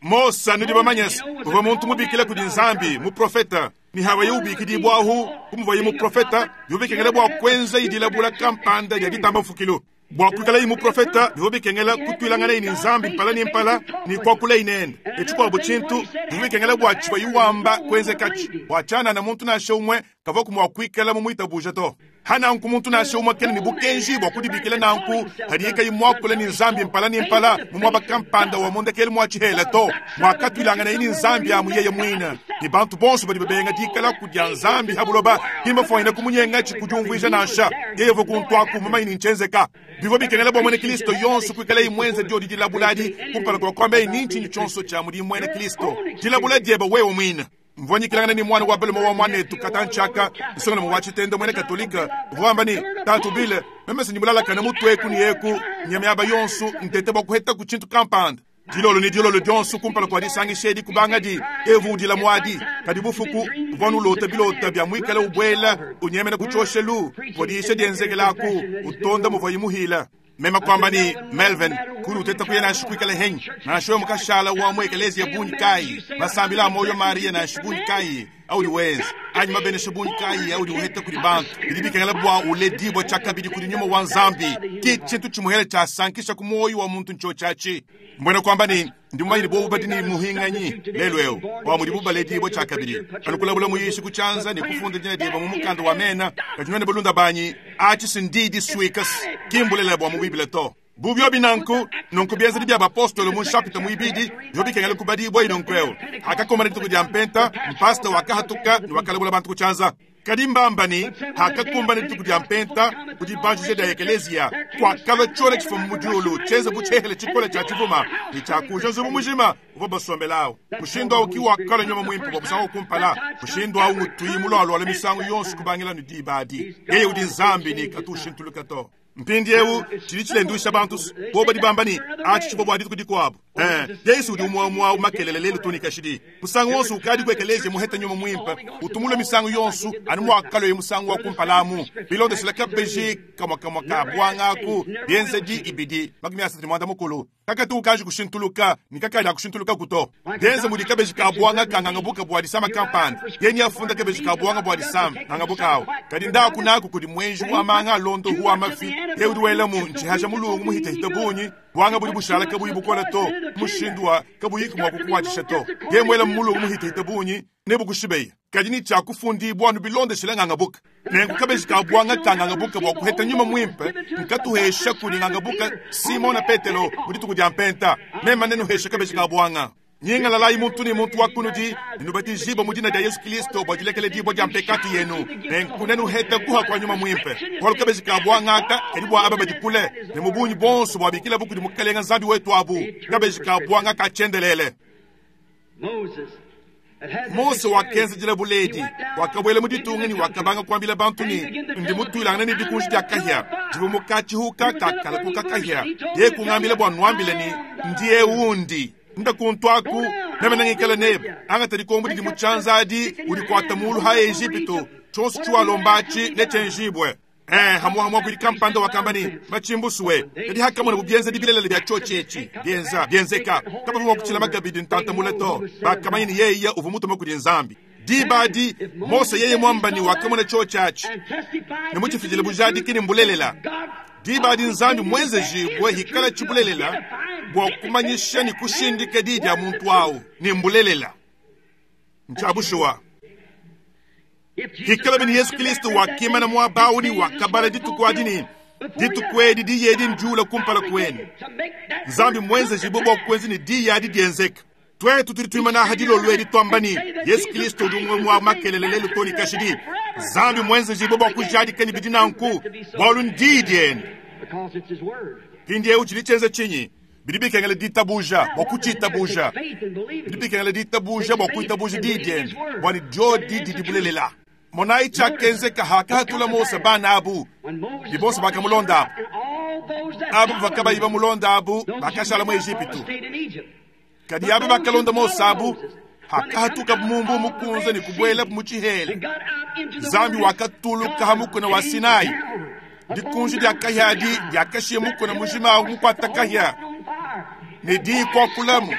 Mose, nudi bamanye se, uvua muntu mubikila kudi Nzambi, muprofete, ne hawaye ubikidibua ahu, bu muvuaye muprofete, bivua bikengela bua kuenza dilabula kampanda dia ditamba mfukilu. Bua kuikalaye muprofeta, bivua bikengela kutuilanganaye ne Nzambi mpala ne mpala ne kuakulaye nende. Ne tshikuabu tshintu, bivua bikengela bua tshivuaye wamba kuenzekatshi, bua tshianana muntu nansha umue kavuaku mua kuikala mumuitabuja to. Pa nanku muntu nansha umue kena ne bukenji bua kudibikila nanku padiye kayi muakule ne Nzambi mpala ne mpala mu muaba kampanda wa mu ndekelu mua tshihela to, muakatuilanganaye ne Nzambi amu yeye muine. Ne bantu bonso badi babenga dikalaku dia Nzambi ha buloba ki mbafuanyine kumunyengatshi ku diumvuija nansha. Yeye uvua kuntu aku mumanye ne ntshienzeka. Bivua bikengela bua muena Kristo yonso kuikalaye muenze diodi dilabula adi kumpala kua kuambaye ni ntshinyi tshionso tshia mudi muena Kristo. Dilabula diebe wewe muine. Mvua nyikilangana ne muana wa balume wa muanetu katantshi aka, nsongalume wa tshitenda muena Katolike, uvua wamba ne, Tatu Bill, meme si ndi mulalakane mutu eku ne eku, nya miaba yonso, nteta bua kuhetaku tshintu kampanda. Dilolo ne dilolo dionso kumpala kua disangisha edi kubangadi, eu udila muadi. Kadi bufuku, uvua nulota bilota bia muikale ubuela, unyemena ku tshioshelu, kuvua diyisha dienzekelaku, utonda muvuaye muhila. Meme kuamba ne, Melvin, kudi uteta kuya nansha kuikala henyi, nansha wewe mukashala wa mu ekeleziya bungi kayi, masambila a muoyo Mariya nansha bungi kayi audi wenza, anyi mabenesha bungi kayi audi uheta kudi bantu, bidi bikengela bua uledibua tshiakabidi kudi nyuma wa Nzambi. Ki tshintu tshimuhele tshiasankisha ku muoyo wa muntu ntshiotshi atshi. Mbuena kuamba ne, ndi mumanye ne bobu badi ne muhinganyi lelu eu bua mudibu baledibua tshiakabidi, anu kulabula muyishi ku tshianza ne kufunda dina dieba mu mukanda wa mena. Kadi nuenu balunda banyi, atshi si ndi disuika, ki mbulelela bua mu Bible to. Bu biobi nanku, nunku bienzedi bia bapostolo mu nshapita muibidi bivua bikengela kubadibua nunku eu: Hakakumbana dituku dia Mpenta, mpasta wakahatuka ne wakalabula bantu ku tshianza. Kadi mbamba ne, hakakumbana dituku dia Mpenta, ku dibanjija dia ekeleziya, kuakalua tshiona tshifuma mu diulu tshienze bu tshihehele tshikole tshia tshivuma ne tshiakuuja nzubu mujima uvua basombele awu. Mushindu au ki wakalua nyuma muimpe bua musangu wa kumpala. Mushindu au ngutuyi mulualuala misangu yonso kubangila ne diba adi. Yeye udi Nzambi ne katu ushintuluka to. Mpindieu tshidi tshilenduisha bantu bobu badi bamba ne, atshi tshivua bua dituku dikuabu. Ee, Yesu udi umue umue au makelela lelu too ne kashidi. Musangu wonso ukadi ku ekeleziya muheta nyuma muimpe, utu mulue misangu yonso anu muakaluaye musangu wa kumpala amu, bilondeshile kabeji kamue kamue ka buanga aku, Bienzedi ibidi 35. Kakatu ukanji kushintuluka ne kakadi akushintulukaku to. Bienze mudi kabeji ka buanga ka ngangabuka bua disama kampanda, yeye afunda kabeji ka buanga bua disama ngangabuka awu. Kadi ndaku naku kudi muenji wa manga a londohu wa mafi, yeye udi welamu ntshihaja mulungu muhitahita bungi, buanga budi bushala kabuyi bukola to, mushindu wa kabuyiku mua kukuatshisha to. Yeye muelamu mulungu muhitahita bungi, nebukushibeya. Kadi ne tshiakufundibua anu bilondeshile ngangabuka. Nenku kabeji ka buanga ka ngangabuka bua kuheta nyuma muimpe nkatuhesha kudi ngangabuka Simona Petelo mu dituku dia Mpenta. Meme nenuheshe kabeji ka buanga. Nyingalalayi muntu ne muntu wa kunudi ne nubatijibue mu dina dia Yesu Kilisto bua dilekeledibua dia mpekatu yenu, nenku nenuhete kuha kua nyuma muimpe. Bualu kabeji ka buanga aka kadi bua aba badi kule, ne mu bungi buonso buabikilabu kudi Mukelenge Nzambi wetu abu, kabeji ka buanga ka tshiendelele. Mose wakenza dilabula edi, wakabuela mu ditunga ne wakabanga kuambila bantu ne, Ndi mutuilangane ne dikunji dia kahia divua mu katshihuka kakalakuka kahia. Yeye kungambila bua nuambile ne, Ndi eu ndi. Nda kuntu aku, meme nengikale nebe. Angata dikombo didi mu tshianza adi, udikuata mulu ha Ejipitu, tshionso tshiwalomba atshi netshienjibue. Ee, hamuha muakuidi kampanda wakamba ne, Matshimbusuwe. Kadi hakamonabu bienzedi bilelele bia tshiotshi etshi bienza bienzeka, kabavua mua kutshilama kabidi ntanta mule to. Bakamanya ne yeye uvua mutume kudi Nzambi. Diba adi, Mose yeye muamba ne wakamona tshiotshi atshi ne mutshifidile bujadiki ne mbulelela. Diba adi Nzambi muenzejibue hikala tshibulelela bua kumanyisha ne kushindika di dia muntu au ne mbulelela. Ntshia bushuwa. Hikalabi ne Yesu Kilisto wakimana muaba au ne wakabala dituku adi ne, Dituku edi diyi edi ndiula kumpala kuenu. Nzambi muenzejibue bua kuenza ne diyi adi dienzeka. Tuetu tudi tuimana aha dilolo edi tuamba ne, Yesu Kilisto udi umue wa makelele lelu too ne kashidi. Nzambi muenzejibue bua kujadika ne bidi nanku, bualu ndiyi diende. Mpindieu tshidi tshienza tshinyi? Bidi bikengela ditabuja bua kutshitabuja. Bidi bikengela ditabuja bua kuitabuja diyi diende, bua ne diodi didi bulelela. Monayi tshiakenzeka hakahatula Mose bana abu, ne bonso bakamulonda abu. Aba bavua kabayi bamulonda abu bakashala mu Ejipitu. Kadi aba bakalonda Mose abu, hakahatukabu mu Mbuu Mukunze ne kubuelabu mu tshihela, Nzambi wakatuluka ha mukuna wa Sinai. Dikunji dia kahia adi diakashiya mukuna mujima au mukuata kahia, ne diyi kuakulamu,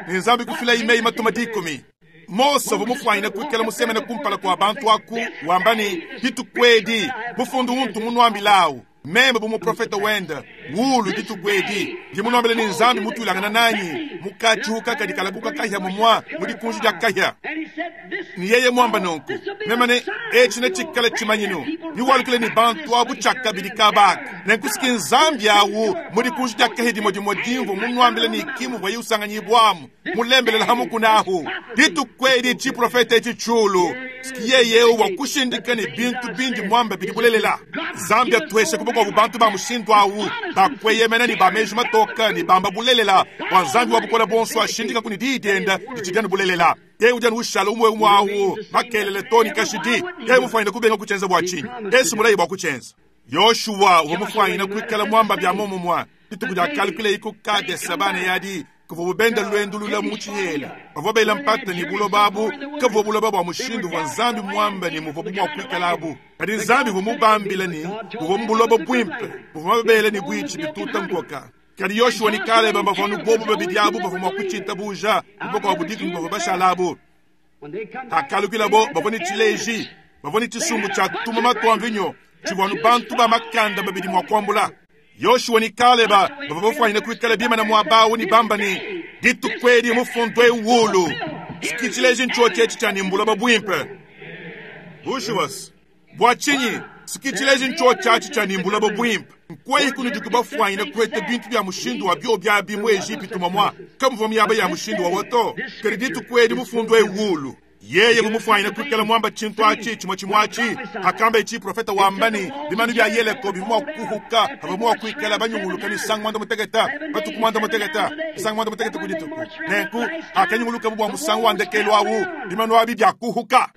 ne Nzambi kufilayi meyi matuma dikumi. Mose uvua mufuanyine kuikala musemene kumpala kua bantu aku wamba ne, Dituku edi mufundu untu munuambilawu. Meme bu muprofete wende, wulu dituku edi, ndi munuambile ne Nzambi mutuilangana nanyi mu katshiuka kadi kalakuka kahia mumua mu dikunji dia kahia. Ne yeye muamba nunku, meme ne etshi netshikale tshimanyinu, niwalukile ne bantu abu tshiakabidi kabaka. Nenku siki Nzambi awu mu dikunji dia kahia dimue dimue dimvua munuambile ne ki muvuaye usanganyibuamu, mulembelela ha mukuna ahu. Dituku edi tshiprofete etshi tshiulu, siki yeye eu wakushindika ne bintu bindi muamba bidi bulelela. Nzambi atueshe kubakuabu bantu ba mushindu awu, bakweyemena ne ba meji matoka ne bamba bulelela bua Nzambi wa bukole bonso ashindika ku ne diyi dienda ditshidi anu bulelela. Yeye udi anu ushala umue umue awu makelele to ne kashidi. Yeye mufwanyine kubenga kutshienza bua tshinyi? Yesu mulayi bua kutshienza. Yoshua uvua mufwanyine kuikala muamba bia momumua dituku dia kalukile ku Kadese bana yadi kuvua bubenda luendu lula mu tshihela. Bavua bela mpata ne buloba abu kavua buloba bua mushindu uvua Nzambi muamba ne muvua mua kuikalabu. Kadi Nzambi uvua mubambile ne buvua mu buloba buimpe, buvua mabele ne buitshi bituta nkoka. Kadi Yoshua ne Kaleba bavua anu bobu babidi abu bavua mua kutshitabuja, bubakuabu dikumi bavua bashala abu. Hakalukilabo bavua ne tshileji, bavua ne tshisumbu tshia tumuma tua mvinyo tshivua anu bantu ba makanda babidi mua kuambula. Yoshua ne Kaleba bavua bafwanyine kuikala bimana muaba awu ne bamba ne dituku edi mufundu eu wulu. Siki tshileji ntshiotshi etshi tshia ne mbuloba buimpe. Bushuwa bua tshinyi siki tshileji ntshiotshi atshi tshia ne mbuloba buimpe. Nkwei kunudi kubafwanyine kueta bintu bya mushindu wa bio byabi mu Ejipitu mamwa kamuvua miaba ya mushindu wa wato. Kadi dituku edi mufundu eu wulu. Yeye bumufwanyine kuikala mwamba tshintu atshi tshimue tshimue atshi hakamba etshi profeta wamba ne bimanu bya Yeriko bivua mua kuhuka havua mua kuikala banyunguluka misangu mwanda muteketa batuku mwanda muteketa misangu mwanda muteketa ku dituku. Nenku hakanyunguluka bua musangu wa ndekelu awu bimanu abi bya kuhuka.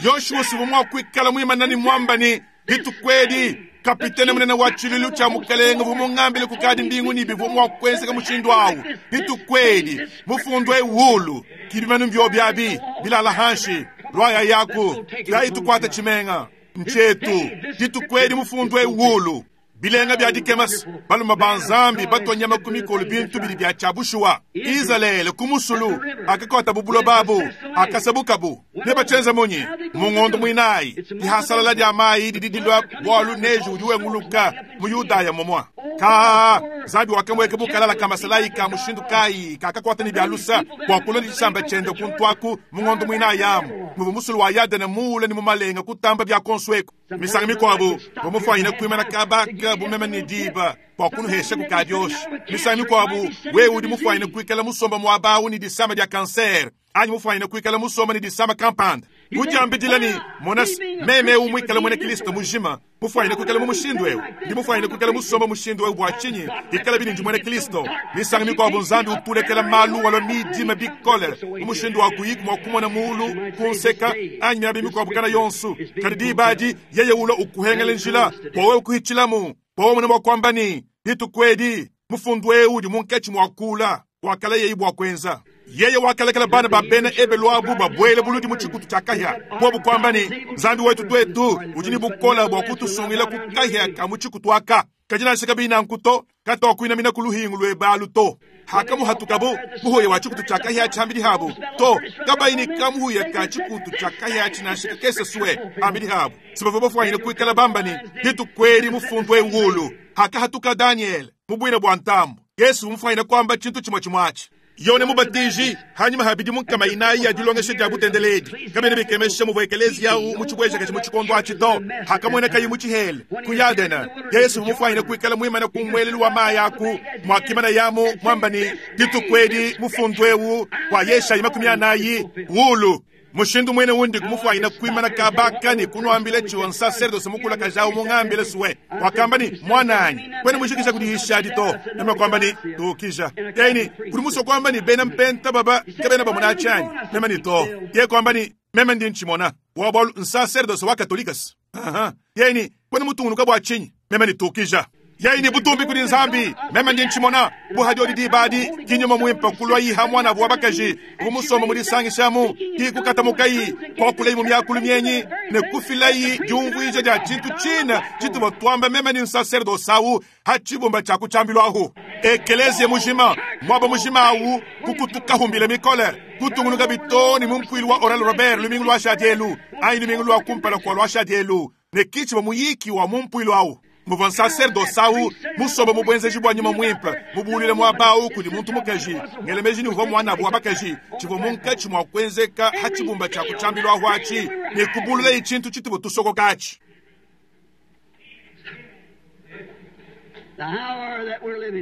Yoshua sivua mua kuikala muimana ne mwamba ne dituku edi kapitene munene wa tshiluilu tshia mukelenge uvua mungambile kukadi mbingu ne bivua mua kuenzeka mushindu awu. Dituku edi mufundu ewulu kibimanu mbio byabi bilala hanshi lwaya yaku tuyayi tukwata tshimenga nchetu. Dituku edi mufundu ewulu bilenga bya dikemasi baluma ba Nzambi batwanyama ku mikolo bintu bidi bya tshia bushuwa. Izalele ku musulu akakwata bubuloba abu akasabukabu ne bachenza munyi mu ngondo mwinayi dihasalala dia mayi didi dilua bwalu neji udi wenguluka mu Yudaya momwa. Ka Nzambi wakamweka bukalala ka masalayi ka mushindu kayi kakakwata ne bya lusa bua kulonda tshisamba tshiende kuntwaku mu ngondo mwinayi amu muvua musulu wa Yadene muule ne mu malenga kutamba bya konsueku. Misangu mikuabu bamufwanyine kuimana kabaka bumeme ne diba bua kunuhesha ku kadioshi. Misangu mikuabu wewe udi mufwanyine kuikala musomba muaba awu ne disama dia kanser anyi mufwanyine kuikala musomba ne disama kampanda. Kudiambidila ne mona meme eu muikala muena Kristo mujima mufwanyine kuikala mu mushindu eu, ndi mufwanyine kuikala musomba mushindu eu bua tshinyi ikala bini ndi muena Kristo. Misangu mikuabu Nzambi utulekela malu walua midima bikole mu mushindu wa kuyiku mua kumona mulu kunseka anyi miaba mikuabu kana yonsu. Kadi diba adi yeye ulua ukuhengela njila bua wewe kuhitshilamu bua wewe mune kuamba ne dituku edi mufundu eu udi munkatshi mua kula wakala yeye bua kuenza. Yeye wakalekela bana ba bena ebelu abu babwele buludi mu tshikutu tshia kahia bobu kuamba ne Nzambi wetu twetu udi ne bukola bua kutusungila ku kahia ka mu tshikutu aka. Kadi nansha kabina nanku to katuakuinamina ku luhingu lwebalu to. Hakamuhatukabu muhuya wa tshikutu tshia kahia tshiambidi habu to kabayi ne kamuhuya ka tshikutu tshia kahia tshinashika kese sue ambidi habu. Sibavua bafwanyine kuikala bamba ne dituku edi mufundu ewulu. Hakahatuka Daniel mu bwina bua ntambu Yesu mufwanyine kwamba tshintu tshimue tshimue atshi. Yone Mubatiji hanyuma habidi munkama inayi ya dilongesha dia butendeledi kabena bikemesha muvua ekelezia awu mu tshibwejakaji mu tshikondo atshi to hakamwena kayi mu tshihele ku Yadena. Yesu mufwanyine kuikala muimana ku mwelelu wa mayi aku mwakimana yamu mwamba ne dituku edi mufundu eu wa Yeshayi 40 wulu. Mushindu mwene wundi kumufwanyina kuimana kabaka ne kunuambile tshiwa nsacerdoce mukula kajawu mungambile suwe. Wakamba ni mwananyi kwene mushikisha kudihisha to. Nema kwamba ni tukisha. Yeni kuli muso kwamba ni bena mpenta baba kabena bamuna chanyi. Nema ni to. Ye kwamba ni meme ndi nchimona. Wa nsacerdoce wa katolikas. Aha. Yeni kwene mutungunuka bwa chinyi. Meme ni tukisha. Yeye ni butumbi kuli Nzambi. Meme ndi nchimona buhadi odi dibadi kinyuma mwimpa kulwa yiha mwana bwa bakaji bumusoma muri sangishamu kikukata mukayi kwa kulei mu myakulu myenyi ne kufilayi diumvuija dia tshintu tshina tshitu batwamba meme ni nsacerdoce awu hachibumba tshia kutshambilwahu. Ekelezie mujima mwaba mujima awu kukutukahumbile mikole kutungunuka bitoni mu mpwilu wa Oral Robert lumingu lwa shadielu ayi lumingu lwa kumpala kwa lwa shadielu. Ne ki tshivua muyiki wa mu mpuilu awu, muvua nsaserdose awu musombe mu buenzeji bua nyuma muimpe, mubuuluile muaba awu kudi muntu mukaji, ngela meji ne uvua muanabu wa bakaji, tshivua munkatshi mua kuenzeka ha tshibumba tshia ku tshiambilu ahu atshi, ne kubuululayi tshintu tshituvua tusokoka atshi.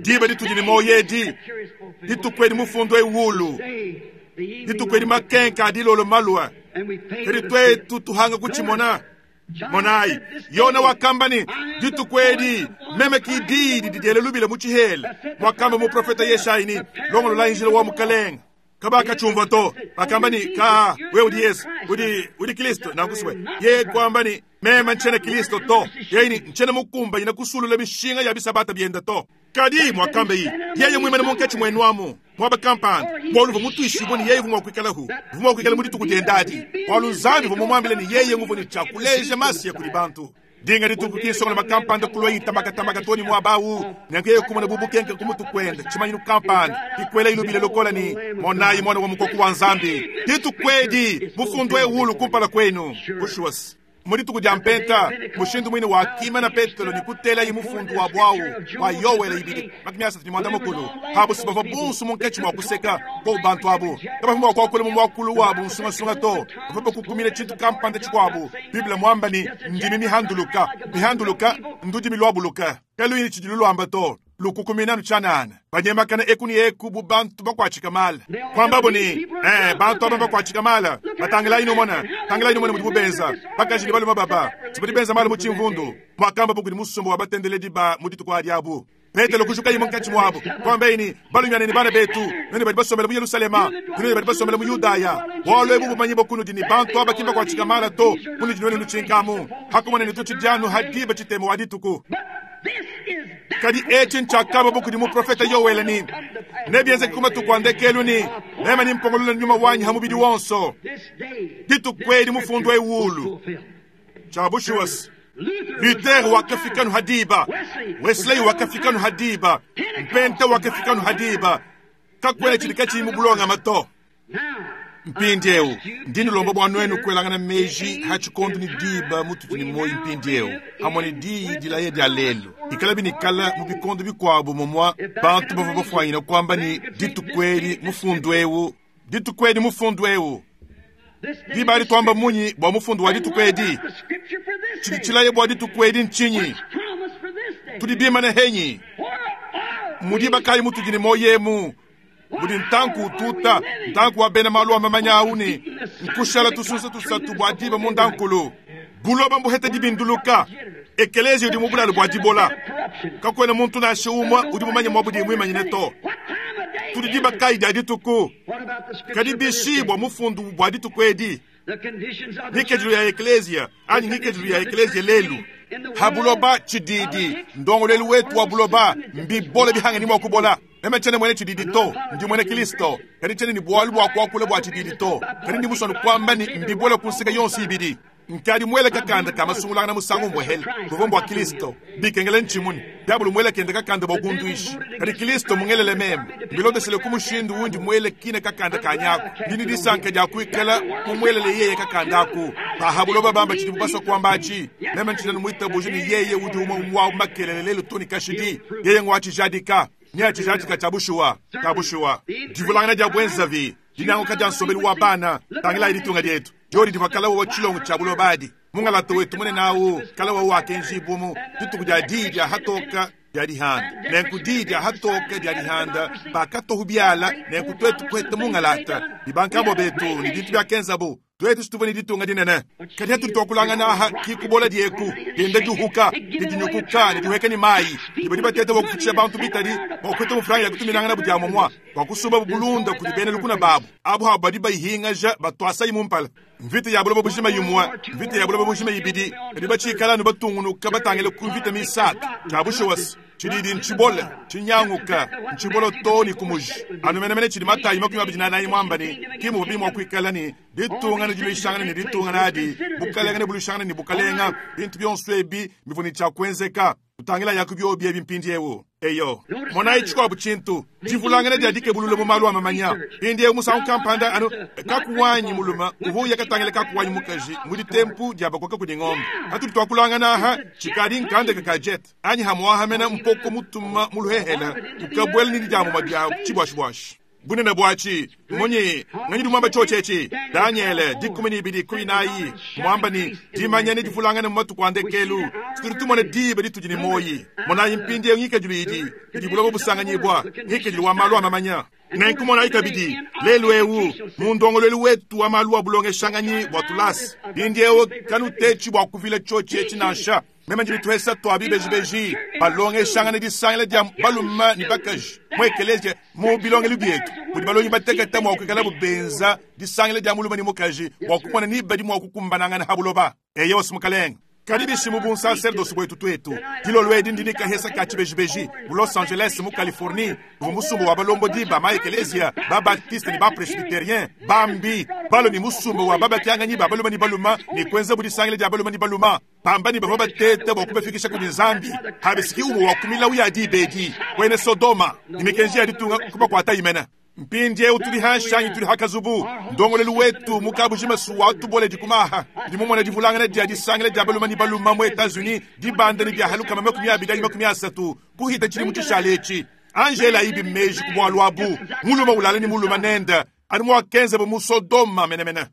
Diba ditudi ne muoyo edi, dituku edi mufundu ewulu, dituku edi makenka a dilolo malua, kadi tuetu tuhanga kutshimona. Monayi, Yona wakamba ne, dituku edi meme ki diyi didi diele lubila mu tshihela, muakamba muprofete Yeshayi ne, longololayi njila wa Mukalenge. Kabakatshiumvua to. Bakamba ne, Ka, wewe udi Yesu, udi, udi Kristo. Nanku swe yeye kuamba ne, meme ntshiena Kristo to. Yeye ne, ntshiena mukumbanyine kusulula mishinga ya bisabata biende to. Kadi muakambaye, yeye muimane munkatshi muenu amu, muaba kampanda, bualu uvua mutuishibue ne yeye uvua mua kuikalahu, uvua mua kuikala mu dituku diende adi, bualu Nzambi uvua mumuambile ne yeye nguvua ne tshia kuleja Masiya kudi bantu. Dinga dituku ki nsongoloma kampanda kulua itamakatamaka too ne muaba awu, nenku yeye kumona bu bukenke ku mutu kuende, tshimanyinu kampanda, ikuela ilubile lokola ne, Monayi Muana wa Mukoko wa Nzambi! Dituku edi, mufundu eu kumpala kuenu. Bushuwa, mu dituku dia Mpenta, mushindu muine wakimana Petelo ne kutelaye mufundu wa buawu wa Yoele 2:30, abu si bavua bonso munkatshi mua kuseka bobu bantu abu kabavua mua kuakula mu muakulu wabu nsungasunga to, bavua bakukumina tshintu kampanda tshikuabu. Bible muamba ne, ndimi mihanduluka mihanduluka ndudimi luabuluka kaluyi ne tshidi luluamba to, lukukumina anu tshianana, banyemakana eku ne eku bu bantu bakuatshika mala. Kuambabo ne, eh, bantu aba bakuatshika mala, batangilayi numona, tangilayi numona mudibu benza, bakaji ne balume baba, badi benza malu mu tshimvundu, muakambabo kudi musumba wa batendeledi ba mu dituku adi abu. Petelo kujukaye munkatshi muabu, kuambaye ne, Balumiana ne bana betu, nuenu badi basombele mu Yelushalema, nuenu badi basombele mu Yudaya, bualu ebu bumanyibua kunudi ne bantu aba ki mbakuatshika mala to, munudi nuenu nutshinkamu, hakumona ne tutshidi anu ha diba tshitema wa dituku. Kadi etshi ntshiakamba kudi muprofete Yoele ne, nebienzeke ku matuku a ndekelu ne, meme nimpongolole nyuma wanyi ha mubidi wonso. Dituku edi mufundu ewulu tshia bushuwa. Luther wakafika nu ha diba, Wesley wakafika nu ha diba, Mpenta wakafika nu ha diba. Kakuena tshidi katshiyi mu bulongama to. Mpindieu ndi nulomba bua nuenu kuelangana meji ha tshikondo ne diba mutudi ne muoyo mpindieu, pamue ne diyi dilaya dia lelu. Ikalabi ne kala mu bikondo bikuabu mumua bantu bavua bafuanyina kuamba ne, dituku edi mufundu eu, dituku edi mufundu eu. Diba adi tuamba munyi bua mufundu wa dituku edi? Tshidi tshilaya bua dituku edi ntshinyi? Tudi bimane henyi? Mu diba kayi mutudi ne muoyo emu? Mudi ntanku ututa, ntanku wa bena malu a mamanya awu ne nkushala tusunsa tusatu bua diba mundankulu. Buloba mbuhete dibinduluka, ekeleziya udi mu bulalu bua dibola. Kakuena muntu nansha umue udi mumanye mua budi muimanyine to. Tudi diba kayi dia dituku? Kadi bishi bua mufundu bua dituku edi? Ngikadilu ya ekleziya anyi ngikadilu ya ekleziya lelu ha buloba tshididi ndongoluelu wetu wa buloba mbibole bihange ni mua kubola. Meme tshiena muena tshididi to, ndi muena Kristo, kadi tshiena ne bualu bua kuakula bua tshididi to, kadi ndi musue kuamba ne mbibole ku nseke yonso ibidi. Nkadi muele kakanda ka masungulangana musangu umue buvua mbua Kristo, bikengela ntshimune diabolo muele kende kakanda bua kunduisha, kadi Kristo mungelele meme mbilondeshile ku mushindu undi muele kine kakanda kanyaku. Ndi ne disanka dia kuikala mumuelele yeye kakanda aku. Paha buloba bamba tshidibu basua kuamba atshi, meme ntshina muitabuje ne yeye udi umue wa makelele lelu to ne kashidi. Yeye ngua tshijadika ne atshijadika tshia bushuwa, tshia bushuwa. Divulangana dia buenzavi, dinyanguka dia nsombelu wa bana, tangilayi ditunga dietu diodi divua kalawa wa tshilongo tshia buloba adi. Mungalata wetu munene awu kalawa wakenjibua mu dituku dia diyi dia hatoka dia dihanda, nenku diyi dia hatoka dia dihanda bakatohu biala, nenku tuetu kueta mungalata ne bankambua betu ne bintu biakenzabu. Tuetu situvua ne ditunga dinene, kadi hatudi tuakulangana aha ki kubola dieku dienda diuhuka ne dinyukuka ne dihueka ne mayi, ne badi bateta bua kufutshisha bantu bitadi bua kueta mufranga ya kutuminangana bu dia mumua bua kusumba bulunda kudi bena lukuna babu abu habu badi bayihingaja batuasayi mu mpala. Mvita ya buloba bujima imue, mvita ya buloba bujima ibidi, kadi batshikala anu batungunuka batangile ku mvita misatu. Tshia bushuwa tshididi ntshibole, tshinyanguka, ntshibole too ne ku muji. Anu menemene tshidi Matayi 24 muamba ne, ki muvua bimua kuikala ne ditunga ne diluishangana ne ditunga nadi, bukalenga ne buluishangana ne bukalenga. Bintu bionso ebi bivua ne tshia kuenzeka. Tutangilayaku biobi ebi mpindiewu. Eyo. Monayi tshikuabu tshintu, divulangana dia dikebulula mu malu a mamanya. Mpindiewu musangu kampanda anu kaku wanyi mulume uvua uya katangila kaku wanyi mukaji mu ditempu dia bakoka kudi ngombe. Patudi tuakulangana aha, tshikadi nkandeka ka jet anyi hamuaha mena mpoko mutuma mu luhehela ukabuela ne didiamuma dia tshibuashibuashi. Bunene buatshi, munyi? Nganyi udi muamba tshiotshi etshi? Danyele, 12 ku inayi, muamba ne, Dimanya nedivulangane mu matuku a ndekelu. Tudi tumona diba ditudi ne muoyi. Monayi mpindieu ngikadilu idi, idi buloba busanganyibua, ngikadilu wa malu a mamanya. Nenku monayi kabidi, lelu eu, mu ndongoluelu wetu wa malu a bulongeshanganyi bua tulasa, mpindieu kanutetshi bua kuvila tshiotshi etshi nansha. Meme ndi ne tuhesa tua bibejibeji balongeshangana disangila dia balume ne bakaji mu ekeleziya mu bilongelu bietu mudi balongi batekete mua kuikalabu benza disangila dia mulume ne mukaji bua kumona ni badi mua kukumbanangana ha buloba. Eyowa, Mukalenge. Kadi bishi mu bunsaserdosi buetu tuetu? Dilolo edi ndi ne kahesa ka tshibejibeji mu Los Angeles mu Californie muvua musumba wa balombodi ba ma-ekeleziya, ba-baptiste ne ba-presbyterien, bambi, balue ne musumba wa babakianganyi ba balume ne balume ne kuenzabu disangila dia balume ne balume. Bamba ne bavua bateta bua kubafikisha kudi Nzambi, habisiki umue wa ku milawu ya diba edi, kuena Sodoma, ne mikenji ya ditunga kubakuatayi mene. Mpindieu tudi hanshi anyi tudi ha kazubu, ndongoluelu wetu mu kabujima sua tuboledi ku maha. Ndi mumona divulangana dia disangila dia balume ne balume mu Etats-Unis dibanda ne dia 20 anyi 30 kuhita tshidimu tshishale etshi. Angela ibi meji ku bualu abu, mulume ulala ne mulume nende, anu muakenzabo mu Sodoma menemene.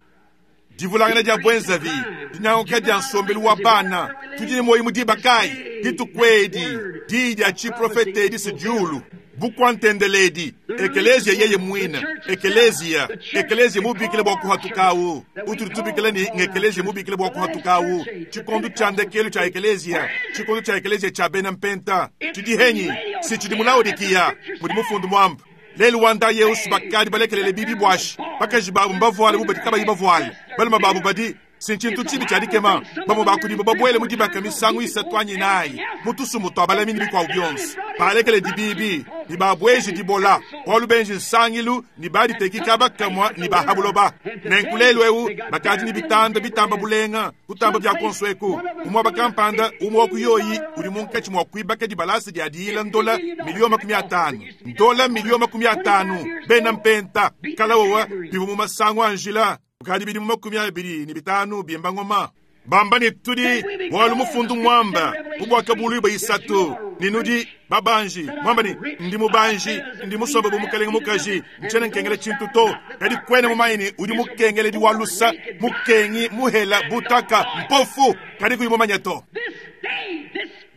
Divulangana dia buenzavi, dinyanguka dia nsombelu wa bana, tudi ne muoyo mu diba kayi? Dituku edi, diyi dia tshiprofete edi si diulu, bukua-ntendeledi, ekeleziya yeye muine, ekeleziya, ekeleziya mubikila bua kuhatukawu, utudi tubikila ne ngekeleziya mubikila bua kuhatukawu, tshikondo tshia ndekelu tshia ekeleziya, tshikondo tshia ekeleziya tshia bena mpenta, tshidi henyi? Si tshidi mu Laodikiya, mudi mufundu muamba. Lelu wa ndayeusu bakadi balekelele bibi buashi. Bakaji babu mbavuale bu badi kabayi bavuale. Balume babu badi si ntshintu tshibi tshia dikema. Bamue ba kudibu babuele mu dibaka misangu isatu anyi inayi mu tusumbu tua balami ne bikuabu bionso. Balekeledi bibi ne babueji dibola, bualu benji nsangilu ne baditeki kaba kamue ne ba ha buloba. Nenku lelu eu bakadi ne bitanda bitamba bulenga kutamba bia kuonso eku. Mu muaba kampanda, umue wa ku yoyi udi munkatshi mua kuibaka dibalasa dia diyila ndola miliyo 50. Ndola miliyo 50. Bena mpenta kalawowa bivua mu masangu a njila kukadi bidimu 25 bimba ngoma bamba ne tudi bualu mufundu muamba mu Buakabuluibua isatu ne nudi babanji muamba ne ndi mubanji ndi musombe bu mukalenge mukaji ntshiena nkengela tshintu to kadi kuena mumanye ne udi mukengeledi wa lusa mukengi muhela butaka mpofu kadi kuyi mumanye to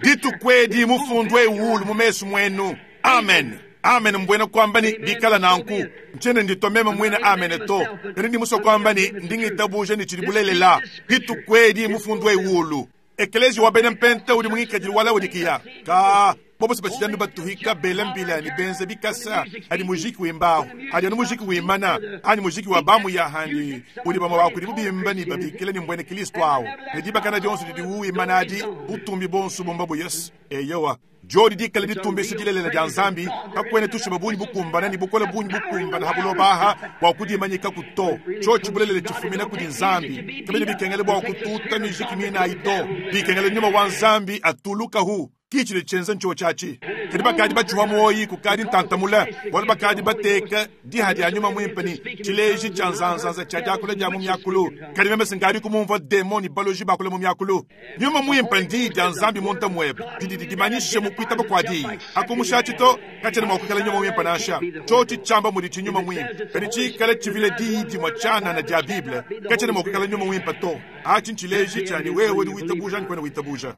dituku edi mufundu eu ulu mu mesu muenu. Amen. Amen mbuena kuamba ne bikala nanku. Ntshiena nditua meme muine amen to, kadi ndi musue kuamba ne ndi ngitabuja ne tshidi bulelela. Dituku edi mufundu eu ulu. Ekeleziya wa bena Mpenta udi mu ngikadilu wa Laodikiya. Kaa, bobo se batshidi anu batuhika bela mbila ne benza bikasa adi mujiki wimbahu, adi anu mujiki wimana, anyi mujiki wa bamuya handi udi bamue ba kudibu bimba ne babikila ne mbuena Kilisto awu, ne dibakana dionso didiwu wimana adi, butumbi buonso bumba bu Yesu. Eyowa. Diodi dikale ditumbisha dilelela dia Nzambi, kakuena tushima bungi bukumbana ne bukole bungi bukumbana ha buloba aha bua kudimanyikaku to. Tshiotshi bulelela tshifumina kudi Nzambi. Kabiena bikengela bua kututa mijiki minayi to. Bikengela nyuma wa Nzambi atulukahu. Ki tshidi tshienza ntshiotshi atshi. Kadi bakadi batshiwa muoyi kukadi ntanta mule, bualu bakadi bateka diha dia nyuma muimpe ne tshileji tshia nzanzanza tshia diakula dia mu miakulu. Kadi meme sinkadi kumumvua demon ne baloji bakula mu miakulu. Nyuma muimpe ndiyi dia Nzambi munda muebe didi didimanyisha mu kuitaba kua diyi. Akumushatshi to, katshiena mua kuikala nyuma muimpe nansha. Tshiotshi tshiamba mudi tshi nyuma muimpe, kadi tshikale tshivile diyi dimue tshianana dia Bible, katshiena mua kuikala nyuma muimpe to. Atshi ntshileji tshia ne wewe udi witabuja anyi kuena witabuja.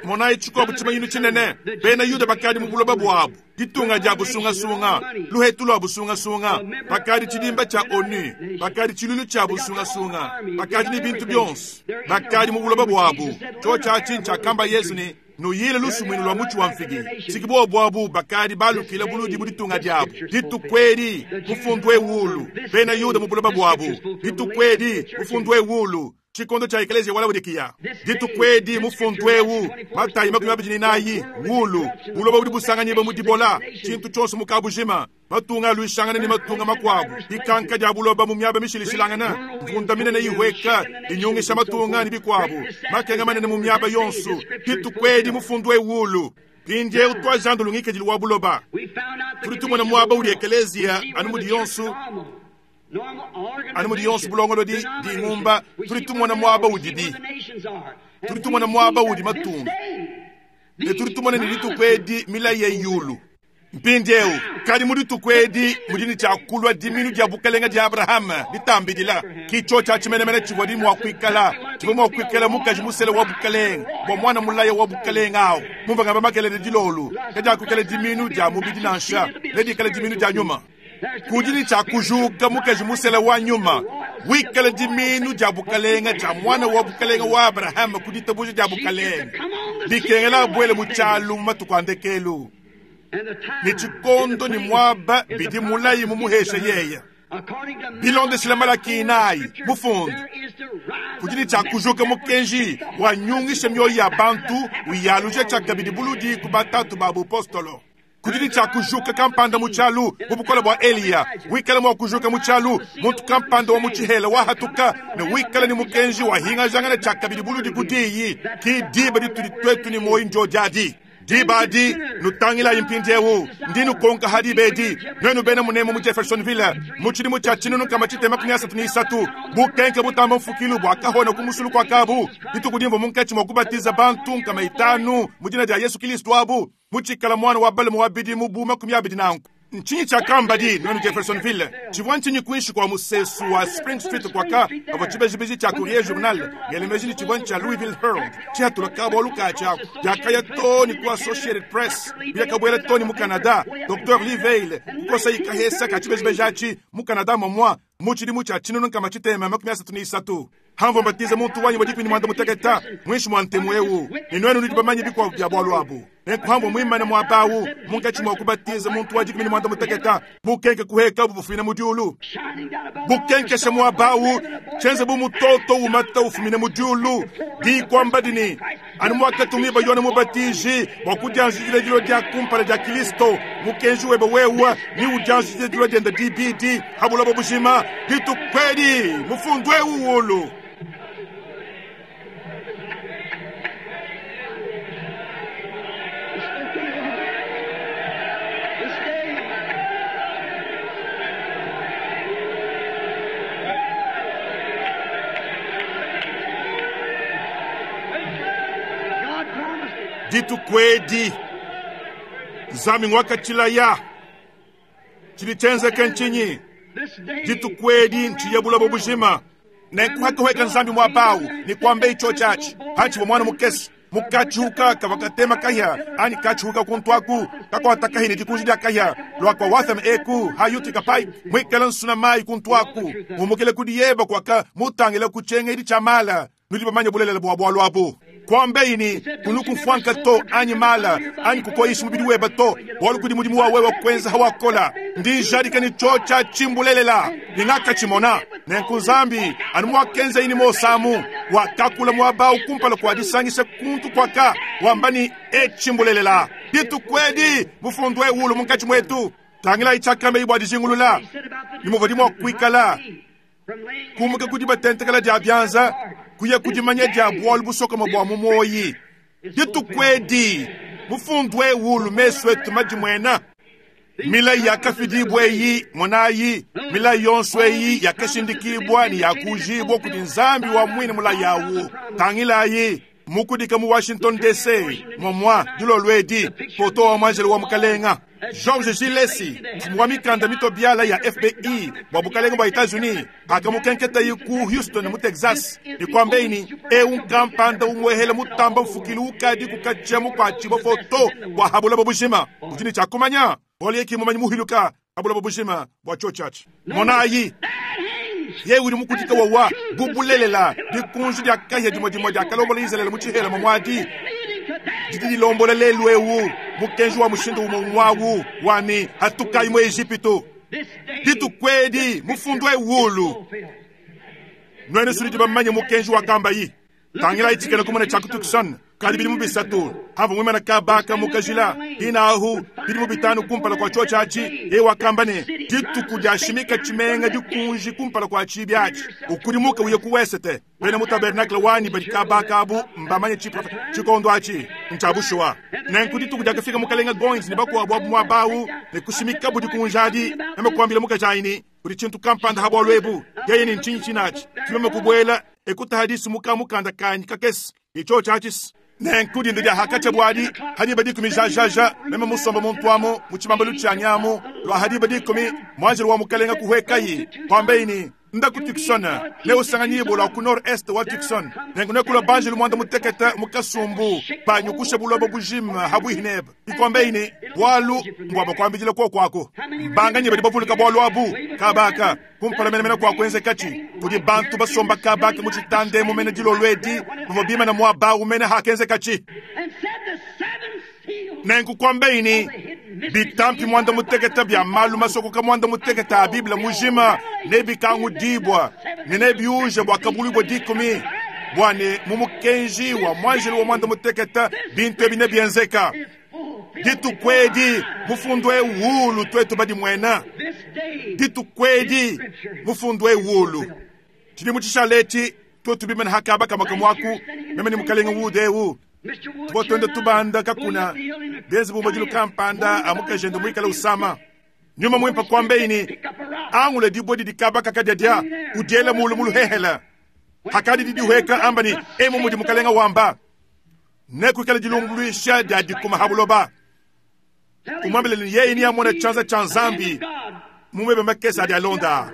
Monayi tshikuabu tshimanyinu tshinene, bena Yuda bakadi mu buloba buabu. Ditunga dia busungasunga, luhetu lua busungasunga, bakadi tshidimba tshia ONU, bakadi tshiluilu tshia busungasunga, bakadi ne bintu bionso, bakadi mu buloba buabu. Tshiotshi atshi ntshiakamba Yezu ne, Nuyile lusumuinu lua mutshi wa mfigi. Siki buobu abu bakadi balukila buludi mu ditunga diabu. Dituku edi mufundu eu ulu, bena Yuda mu buloba buabu. Dituku edi mufundu eu ulu. Tshikondo tshia Ekeleziya wa Laodikiya, dituku edi, mufundu eu, Matayi 24, wulu, buloba budi busanganyibua mu dibola, tshintu tshionso mu kabujima, matunga aluishangana ne matunga makuabu, dikanka dia buloba mu miaba mishilashilangana, mvunda minene ihueka, inyungisha matunga ne bikuabu, makenga manene mu miaba yonso, dituku edi, mufundu eu wulu. Mpindieu tuajandulu ngikadilu wa buloba. Tudi tumona muaba udi ekeleziya anu mudi yonso anu mudi yonso bulongolodi dingumba. Tudi tumona muaba udibi, tudi tumona muaba udi matunga, ne tudi tumona ne dituku edi milayi ya yulu. Mpindieu kadi mu dituku edi mudi ne tshia kulua diminu dia bukalenge dia Abrahama ditambidila. Ki tshiotshi tshimenemene tshivua di mua kuikala, tshivua mua kuikala mukaji musele wa bukalenge bua mwana mulaya wa bukalenge awu. Mumvua ngamba makelele dilolu, kadiakuikala diminu dia mubidi nansha, nedikale diminu dia nyuma. Kudi ne tshia kujuka mukaji musele wa nyuma, wikale diminu dia bukalenge dia mwana wa bukalenge wa Abrahama ku ditabuja dia bukalenge. Bikengela abuele mu tshialu mu matuku a ndekelu. Ne tshikondo ne muaba bidi mulayi mumuhesha yeya. Bilondeshile Malaki 4, mufundu, kudi ne tshia kujuka mukenji wanyungisha mioyo ya bantu, uyaluja tshiakabidi buludi ku batatu ba bupostolo. Kudi ne tshia kujuka kampanda mu tshialu mu bukole bua Eliya, wikale mua kujuka mu tshialu muntu kampanda wa mu tshihela wahatuka, ne wikale ne mukenji wahingajangana tshiakabidi buludi ku diyi. Ki diba ditudi tuetu ne muoyo ndio diadi. Diba adi nutangilayi mpindieu, ndi nukonka ha diba edi, nuenu bena munemu mu Jeffersonville, mu tshidimu tshia 1933, bukenke butamba mfukilu bua kahona ku musulu kua kabu, dituku dimvua munkatshi mua kubatiza bantu 500 mu dina dia Yesu Kristo abu, mutshikala mwana wa balume wa bidimu bu 24. Ntshinyi tshiakamba di nuenu Jeffersonville? Tshivua ntshinyi kuinshi kua musesu wa Spring Street kuaka avua tshibejibeji tshia Courier Journal ngelemeji ni tshivua tshia Louisville Herald tshihatula kabualu katshia diakaya to ni ku Associated Press biakabuela to ni mu Canada. Dr Lee Vayle kukosa ikahesa ka tshibejibeji atshi mu Canada momwa mu tshidimu tshia 1933. Hamvua mbatiza muntu wanyi wa 18 mwinshi mwa ntemu eu, ne nuenu nudi bamanye bikuabu bia bualu abu. Nenkuhamvua muimane muaba awu munkatshi mua kubatiza muntu wa 18, bukenke kuheka bufumina mu diulu, bukenkesha muaba awu tshienze bu mutoto umata ufumina mu diulu. Dikwamba dini anu mwakatumibua Yone Mubatiji bua kudianjidila dilo dia kumpala dia Kristo, mukenji webe wewe ni udianjidila dilo dienda dibidi ha buloba bujima. Dituku edi mufundu eu wulu. This day. God promised it. Dituku edi Nzambi ngwakatshilaya tshidi tshienzeke ntshinyi? This day. Dituku edi ntshiya buloba bujima. Nenkuhakahweka Nzambi muaba ni kuamba icho tshiatshi hatshivua mwana mukese mukatshiuka kavua katema kahia ani katshiuka kuntu aku kakuata kahia ne dikunji dia kahia lua kua Watham eku hayutika pai muikala nsuna mayi kuntu aku mumukile kudi yeba kuaka mutangila ku tshiengedi tshia mala. Nudi bamanye bulelela bua bualu abu. Kuambeini kunukufuanka to anyi mala anyi kukoyisha mubidi weba to bualu kudi mudimu wa wewe kwenza hawakola. Ndi jadika ni cho tshia tshimbulelela ningakatshimona. Nenku Nzambi anu mwakenza ini mosamu wakakula muaba ukumpala kwa disangisha kuntu kwaka wamba ni etshimbulelela. Dituku edi mufundu ewulu munkatshi mwetu. Tangila itshakambe ibwa dijingulula nimuvua dimua kuikala kumuka kudi batentekela dia bianza kuya kudimanya dia bualu busokoma bua mu moyi. Dituku edi mufundu ewulu mesu etu madimuena. Milayi yakafidibwa eyi monayi, milayi yonso eyi yakashindikibwa ne yakujibwa kudi Nzambi wa mwine mulayi awu. Tangilayi mukudika mu Washington DC momwa dilolo edi poto wa mwanjelo wa mukalenga George G. Lacy, mfumu wa mikanda mitobiala ya FBI bua bukalenge bua Etats-Unis, akamukenketa yi ku Houston mu Texas, nikwambeini eu nkampanda umwehele mutamba mfukilu ukadi kukatshia mukuatshibua foto bua habulaba bujima. Udi ne tshiakumanya bualu yeki mumanyi muhiluka habulaba bujima bua tshio tshiatshi. Monayi ye udi mukudika wawa bubulelela dikunji dia kahia dimue dimue dia kalombola Israele mu tshihela momwadi didi dilombola lelu eu mukenji wa mushindu umue mwawu wani hatukayi mu Ejipito. This day. Dituku edi mufundu ewulu. Fulfilled. Nwenu nudi bamanye mukenji wakambayi. Tangilayi tshikena kumona tshia ku Tucson kadi bidimu bisatu hamvua muimana kaba ka mu kajila hina ahu bidimu bitanu kumpala kua tshiotshi atshi, yeye wakamba ne, Dituku diashimika tshimenga dikunji kumpala kua tshiibi atshi, ukudimuke uye ku wesete. Bena mu tabernakle wanyi badi kaba kabu mbamanye tshikondo atshi ntshia bushuwa. Nenku dituku diakafika mukalenga Goins ne bakuabu abu muaba awu ne kushimikabu dikunji adi, meme kuambila mukajanyi ne, Kudi tshintu kampanda ha bualu ebu. Yeye ne, Ntshinyi tshinatshi? Ke meme kubuela e kutaha disu mu kamukanda kanyi kakese ne tshiotshi atshi. Nenku dinda dia hakatshia buadi ha diba dikumi jajaja, meme musomba muntu amu mu tshibambalu tshianyi amu, lua ha diba dikumi, muanjelo wa Mukalenga kuhuekayi, kuambeyi ne, Nda ku Tucson, neusanganyibue lua ku nord-est wa Tucson. Nenku nekulua banjelu muanda mutekete mu kasumbu panyukusha buloba bujima ha buihi nebe. Ikuambeyi ne, Bualu mbua bakuambidila kuoku aku. Mbanganyi badi bavuluka bualu abu? Kaba aka kumpala menemene kua kuenzekatshi, kudi bantu basomba kaba aka mu tshitanda emu mene dilolo edi, bavua bimana muaba au mene hakenzekatshi. Nenku kuambeyi ne, Bitampi muanda mutekete bia malu masokoka muanda mutekete a Bible mujima nebikangudibua ne nebiuje bua kabuluibua dikumi, bua ne mu mukenji wa muanjelu wa muanda mutekete bintu ebi nebienzeka. Dituku edi mufundu eu wulu tuetu badimuena. Dituku edi mufundu eu wulu. Tshidimu tshishale etshi tuetu bimane ha kaba kamue kamue aku, meme ne mukalenge Wood eu, tuvua tuenda tubanda kakuna benze bu madilu kampanda a mukajende muikale usama. Nyuma Muimpe kuambeyi ne, Angula dibue didi kaba kakadiadia, udiele mulu mu luhehele. Hakadi didihueka, amba ne, Emu mudi Mukalenga wamba, nekuikale dilumbuluisha dia dikuma ha buloba. Umuambile ne, yeye neamone tshianza tshia Nzambi mu meba makese adi alonda.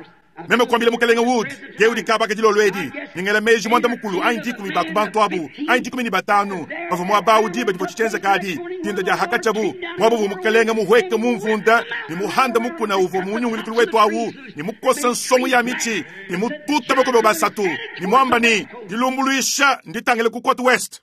Meme kuambila Mukalenge Wood, yeye udi kaba ka dilolo edi, ne ngela meji muanda mukulu anyi dikumi ba ku bantu abu, anyi 15, bavua muaba awu diba divua tshitshienzeka adi, dinda dia hakatshiabu, muaba uvua Mukalenge muhueke mu mvunda ne muhanda mukuna uvua mu nyungulukilu wetu awu, ne mukosa nsongo ya mitshi, ne mututa bakobe basatu, ne muamba ne, Dilumbuluisha nditangile ku Cote Ouest.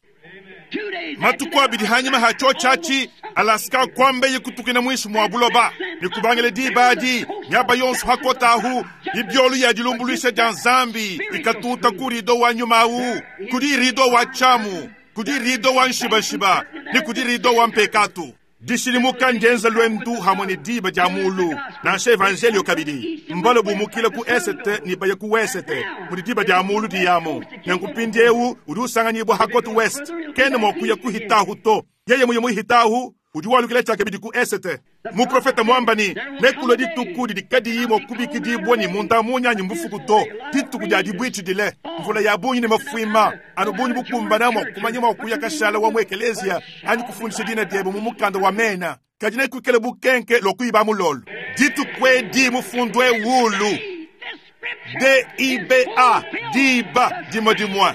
Matuku abidi hanyima ha tshiotshi atshi, Alaska kuambeye kutukina muinshi mua buloba, ne kubangila diba adi, miaba yonso ha kota ahu, mibiolu ya dilumbuluisha dia Nzambi ikatuta ku rido wa nyuma awu, kudi rido wa tshiamu, kudi rido wa nshibanshiba, ne kudi rido wa mpekatu. Dishidimuka ndienza luendu hamue ne diba dia mulu, nansha evanjeliyo kabidi. Mbale bumukile ku esete ne baye ku wesete, mudi diba dia mulu diyamu. Nenku mpindieu udi usanganyibua ha kote west, kena mua kuya kuhitahu to. Yeye muye muhitahu, udi walukila tshiakabidi ku esete. Muprofete muamba ne, Nekulue dituku didi kadiyi mua kubikidibua ne munda munya anyi mbufuku to, dituku dia dibuitshidile, mvula ya bungi ne mafuima, anu bungi bukumbana mua kumanya mua kuya kashala wa mu ekeleziya anyi kufundisha dina diebe mu mukanda wa mena, kadi nekuikale bukenke lua kuiba mulolo. Dituku edi mufundu eu D-I-B-A, diba dimue dimue.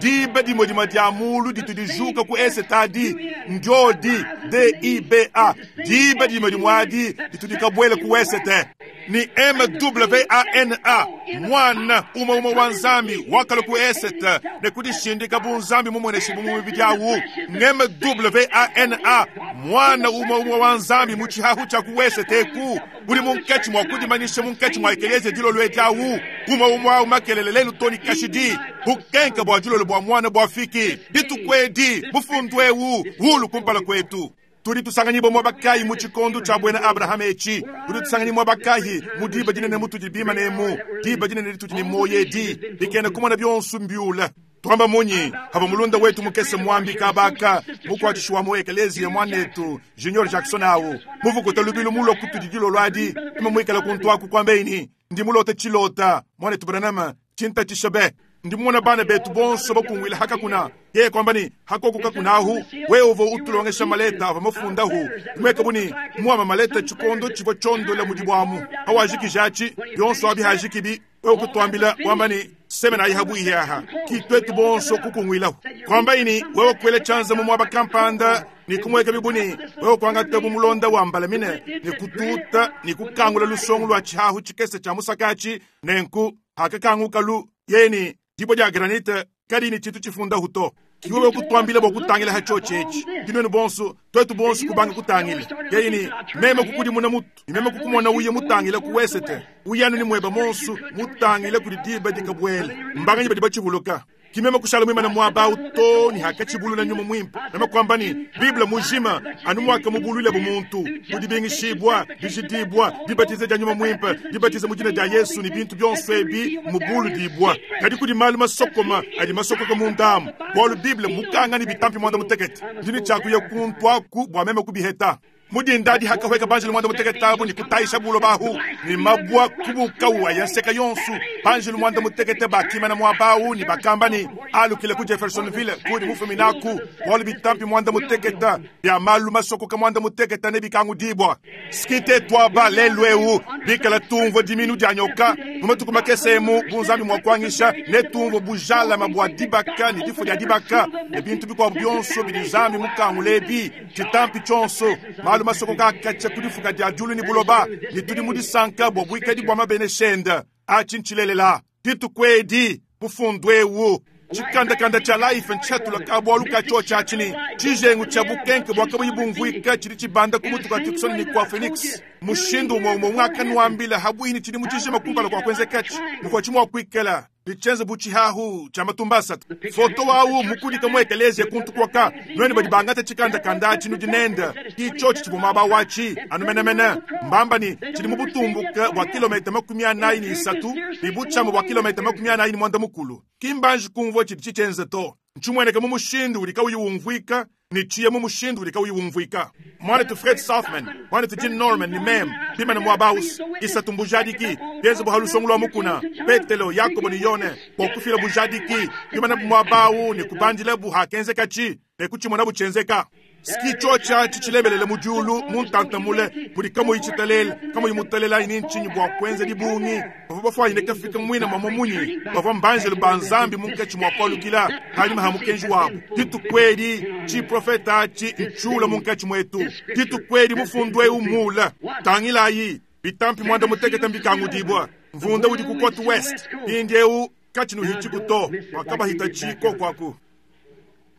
Diba dimue dimue dia mulu ditu dijuka ku esete adi, ndiodi, D-I-B-A, diba dimue dimue adi ditu dikabuela ku wesete. Ne M-W-A-N-A, Muana umue umue wa Nzambi wakalua ku esete ne kudishindika bu Nzambi mumueneshibue mu mubidi awu. M-W-A-N-A, Muana umue umue wa Nzambi mu tshihahu tshia ku wesete eku, udi munkatshi mua kudimanyisha munkatshi mua ekeleziya dilolo edi awu, umue umue awu makelele lelu too ne kashidi. Bukenka bua dilolo bua Muana buafiki dituku edi, mufundu eu ulu kumpala kuetu. Tudi tusanganyibua muaba kayi mu tshikondo tshia buena Abrahama etshi? Tudi tusanganyibua muaba kayi mu diba dinene mutudi bimane emu, diba dinene ditudi ne muoyo edi, bikena kumona bionso mbiule? Tuamba munyi pavua mulunda wetu mukese muambi kaba aka, mukuatshishi wa mu ekeleziya muanetu Junior Jackson awu, muvukuta lubilu mulua kutudi dilolo adi, meme muikale kuntu aku kuambeyi ne, Ndi mulote tshilota, muanetu Branham, tshintatshisha be. Ndi mumona bana betu bonso bakunguila ha kakuna. Yeye kuamba ne, Hakoku kakuna ahu, wewe uvua utulongesha maleta avua mafundahu, kumueka bu ne, muama maleta tshikondo tshivua tshiondola mudibu amu. Hawajikija atshi, bionso abi hajikibi, wewe kutuambila wamba ne, Semenayi habuihi aha. Ki tuetu bonso kukunguilahu. Kuambayi ne, wewe kuela tshianza mu muaba kampanda ne kumueka bibu ne, wewe kuangata bu mulonda wa mbalamine ne kututa ne kukangula lusongo lua tshihahu tshikese tshia musaka atshi, nenku hakakangukalu, yeye ne, dibue dia granite kadiyi ne tshintu tshifundahu to. Ki wewe kutwambila bwa kutangila ha tshiotshi etshi. Ki nwenu bonso, twetu bonso kubanga kutangila. Yeye ni, meme kukudimuna mutu, ni meme kukumona uye mutangila ku wesete. Uyanu ni mweba monso, mutangila kudi diba dikabwela. Mbanganyi badi batshivuluka. Ki meme kushala mwimana mwaba awu to, ni hakatshibulula nyuma mwimpe. Meme kwamba ni, Bible mujima, anu mwaka mubulule bu muntu. Kudibingishibwa, dijidibwa, dibatiza dia nyuma mwimpe, dibatiza mu dina dia Yesu ni bintu bionso ebi mubuludibwa. Kadi kudi malu masokoma, adi masokoka mu ndamu. Bualu Bible mukanga ni bitampi mwanda mutekete. Ndini tshiakuya kuntwaku bua meme kubiheta. Mudindadi hakaweka banjelu mwanda mutekete abu ni kutayisha bulo bahu. Ni mabwa kubukawa ya nseka yonsu. Banjelu mwanda mutekete bakimana mwabawu ni bakamba ni alukile ku Jeffersonville kudi mufuminaku. Bualu bitampi mwanda mutekete bya malu masokoka mwanda mutekete ne bikangu dibwa. Skite twaba lelwewu bikala tumvo diminu dia nyoka. Mu matuku makese emu bunzambi mwa kwangisha ne tumvo bujala mabwa dibaka ni difo dia dibaka. Ne bintu bikwabu byonso bidi nzambi mukangu lebi. Chitampi chonso malu masokoka akacha kudifuka dia julu ni buloba. Ni tudi mu disanka bwa bwikadi bwa mabene shenda. Achinchilelela ditukwedi bufundwewu. Chikandakanda cha life nchatula kabwalu kacho cha chini. Chijengu cha bukenke bwa kabuyi bumvwika chili chibanda kumutuka Tucson ni kwa Phoenix. Mushindu umwe umwe mwaka nwambila habwini chili muchijima kumpala kwa kwenzekachi. Mukwa chimwa kwikela. Lichenze buchihahu cha matumbasa. Foto wawu mukudika mwekeleze kuntu kwaka. Nweni badi bangata chikandakanda chinu dinenda. Kichochi chibumaba wachi. Anumenemene. Mbamba ni chili mubutumbuka bwa kilomita 43. Libuchamo bwa kilomita 44 mwanda mukulu. Kimbanji kumvwa chili chichenze to. Nchumweneke mumushindu ulika uyu umvwika. Ni chiye mumushindu ulika uyu umvwika. Mwana tu Fred Sothmann, mwana tu Jim Norman ni mem, pima na mwabaus, isa tumbujadiki, yenze buhalusongulwa mukuna, Petelo, Yakobo ni Yone, kwa kufila bujadiki, pima na mwabau ni kubandila buhakenze kachi, ne kuchimona buchenzeka. Ski chocha chichilembelele mujulu, muntantamule, muli kamo ichitalele, kamo imutalela ini nchinyi bwa kwenze dibungi, bava bafwa ine kafika mwina mwa munyi, bava mbanjelu ba nzambi munkachi mwa kwalukila, halima ha mukenji wabo. Ditukwedi, chi profeta chi nchula munkachi mwetu. Ditukwedi mufundwe umula. Tangilayi, bitampi mwanda mutekete mbikangu dibwa. Mvunda udi ku Côte West, indeu kachinu hichikuto, wakaba hitachiko kwaku.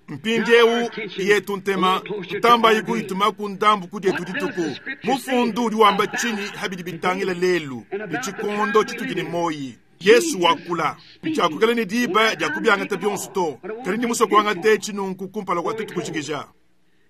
Mpindiewu yetu ntema tutamba iku ituma ku ndambu kudi etu dituku. Mufundu udi wamba chini habidi bitangila lelu. Ni chikondo chitudi ni moyi. Yesu wakula. Nchakukela ni diba dia kubyangata byonso to. Kali ndi musoko wangate chinunku kumpala kwa tutu kuchikija.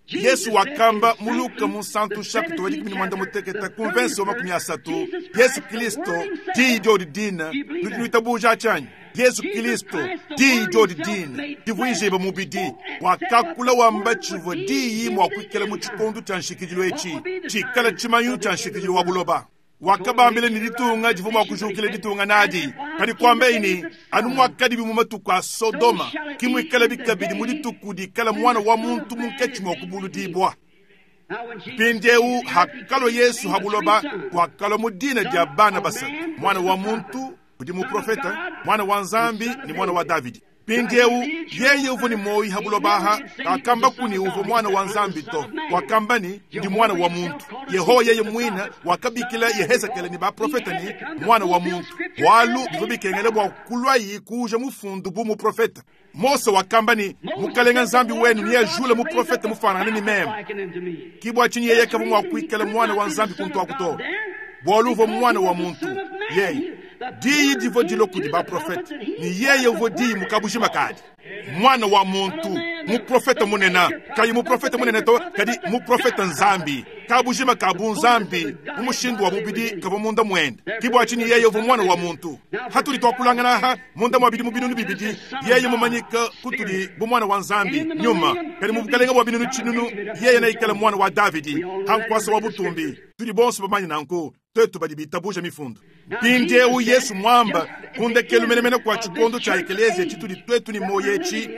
Yesu wakamba muluka mu santu chapitre wa dikumi ni mwanda muteketa convention makumi asatu. Yesu Kristo di dio di dina nudi nuitabuja chanyi. Yesu Kristo di dio di dina divuijeba mubidi wakakula wamba chivwa diyi mwa kwikela mu chikondo cha nshikijilo echi chikala chimanyu cha nshikijilo wa buloba. Wakabambile ni ditunga divu mwa kujukile ditunga nadi. Kadi kwamba ini, anu mwakadi bimu matuku a Sodoma, kimwikala bikabidi mu dituku dikala mwana wa muntu munkatshi mwa kubuludibwa. Mpindieu hakalo Yesu habuloba wakalo mu dina dia bana basatu. Mwana wa muntu udi muprofeta, mwana wa Nzambi ni mwana wa Davidi. Mpindieu yeye uvo ni moyi habulobaha akamba kuni uvo mwana wa Nzambi to wakamba ni ndi mwana wa muntu. Yehowa yeye mwina wakabikila Yehezekele ni baprofeta ni mwana wa muntu. Walu bivo bikengele bwa kulwayi kuja mufundu bu muprofeta. Mose wakamba ni mukalenga Nzambi wenu ni yajula muprofeta mufanana ni meme. Kibwa chinyi yeye kabu mwa kuikela mwana wa Nzambi kuntu akuto. Bwalu uvo mwana wa muntu. Yeye diyi divo dilo kudi baprofeta ni yeye uvo diyi mukabuji makadi mwana wa muntu muprofeta munena kadi muprofeta munene to kadi muprofeta Nzambi kabujima kabu Nzambi mumushindu wa mubidi kavo munda mwende kibwa chini yeye uvo mwana wa muntu hatuli twakulangana ha munda mwabidi mubinunu bibidi yeye mumanyika kutuli bu mwana wa Nzambi nyuma kadi mubukalenga bwa binunu chinunu yeye naikala mwana wa Davidi hankwasa wa butumbi tuli bonso bamanyi nanku twetu badi bitabuja mifundu. Mpindieu Yesu mwamba kundekelu menemene kwa chikondo cha ekelezia chituli twetu ni moyechi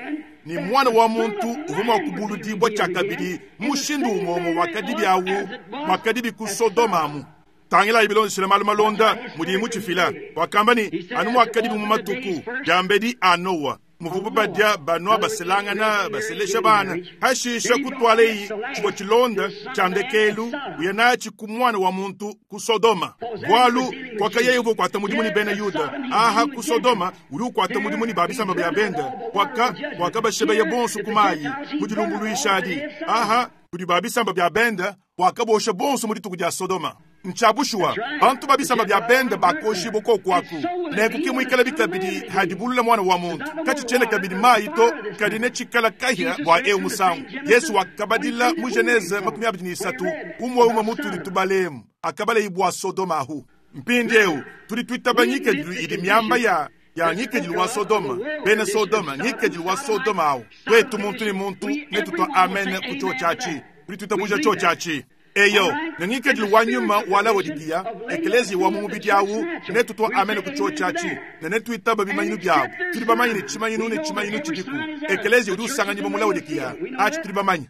ni mwana wa muntu uvuma kubuludibwa cha kabidi mushindu umomo wakadibi awu wakadibi ku Sodoma amu. Tangila ibilonshila malu malonda mudi muchifila wakamba ni anu wakadibi mu matuku jambedi a Noa. Muvubu badia, banua, baselangana, baselesha bana. Hashisha kutwaleyi tshivua tshilonda tshia ndekelu, uya natshi ku mwana wa muntu ku Sodoma. Bwalu kwaka yeye uvua ukwata mudimu ni bena Yuda, aha ku Sodoma udi ukwata mudimu ni ba bisamba bia benda. Kwaka kwaka bashebeye bonso ku mayi mu dilumbuluisha adi. Aha kudi ba bisamba bia benda wakabosha bonso mu dituku dia Sodoma. Ntshabushuwa bantu ba bisamba bia benda bakoshibwa kokwaku nenku kimwikala bikabidi hadibulula mwana wa muntu katshitshiena kabidi mayi to kadi ne tshikala kahia bua eu musangu. Yesu wakabadila mu Genese 23 umwe umwe mutudi tubalemu akabala ibwa Sodoma ahu. Mpindieu tudi twitaba ngikadilu idi miamba ya ngikadilu wa Sodoma, bena Sodoma, ngikadilu wa Sodoma awu. Twetu muntu ni muntu netutwa amen ku cho chachi tudi twitabuja cho chachi. Eyo, ne ngikadilu wa nyuma wa Laodikiya, ekelezi wa mumubidi awu, netutwa amen ku cho chachi, ne netwitaba bimanyinu byabu. Tudi bamanye ne tshimanyinu ne tshimanyinu tshidiku. Ekelezi udi usanganyibwa mu Laodikiya, achi tudi bamanye.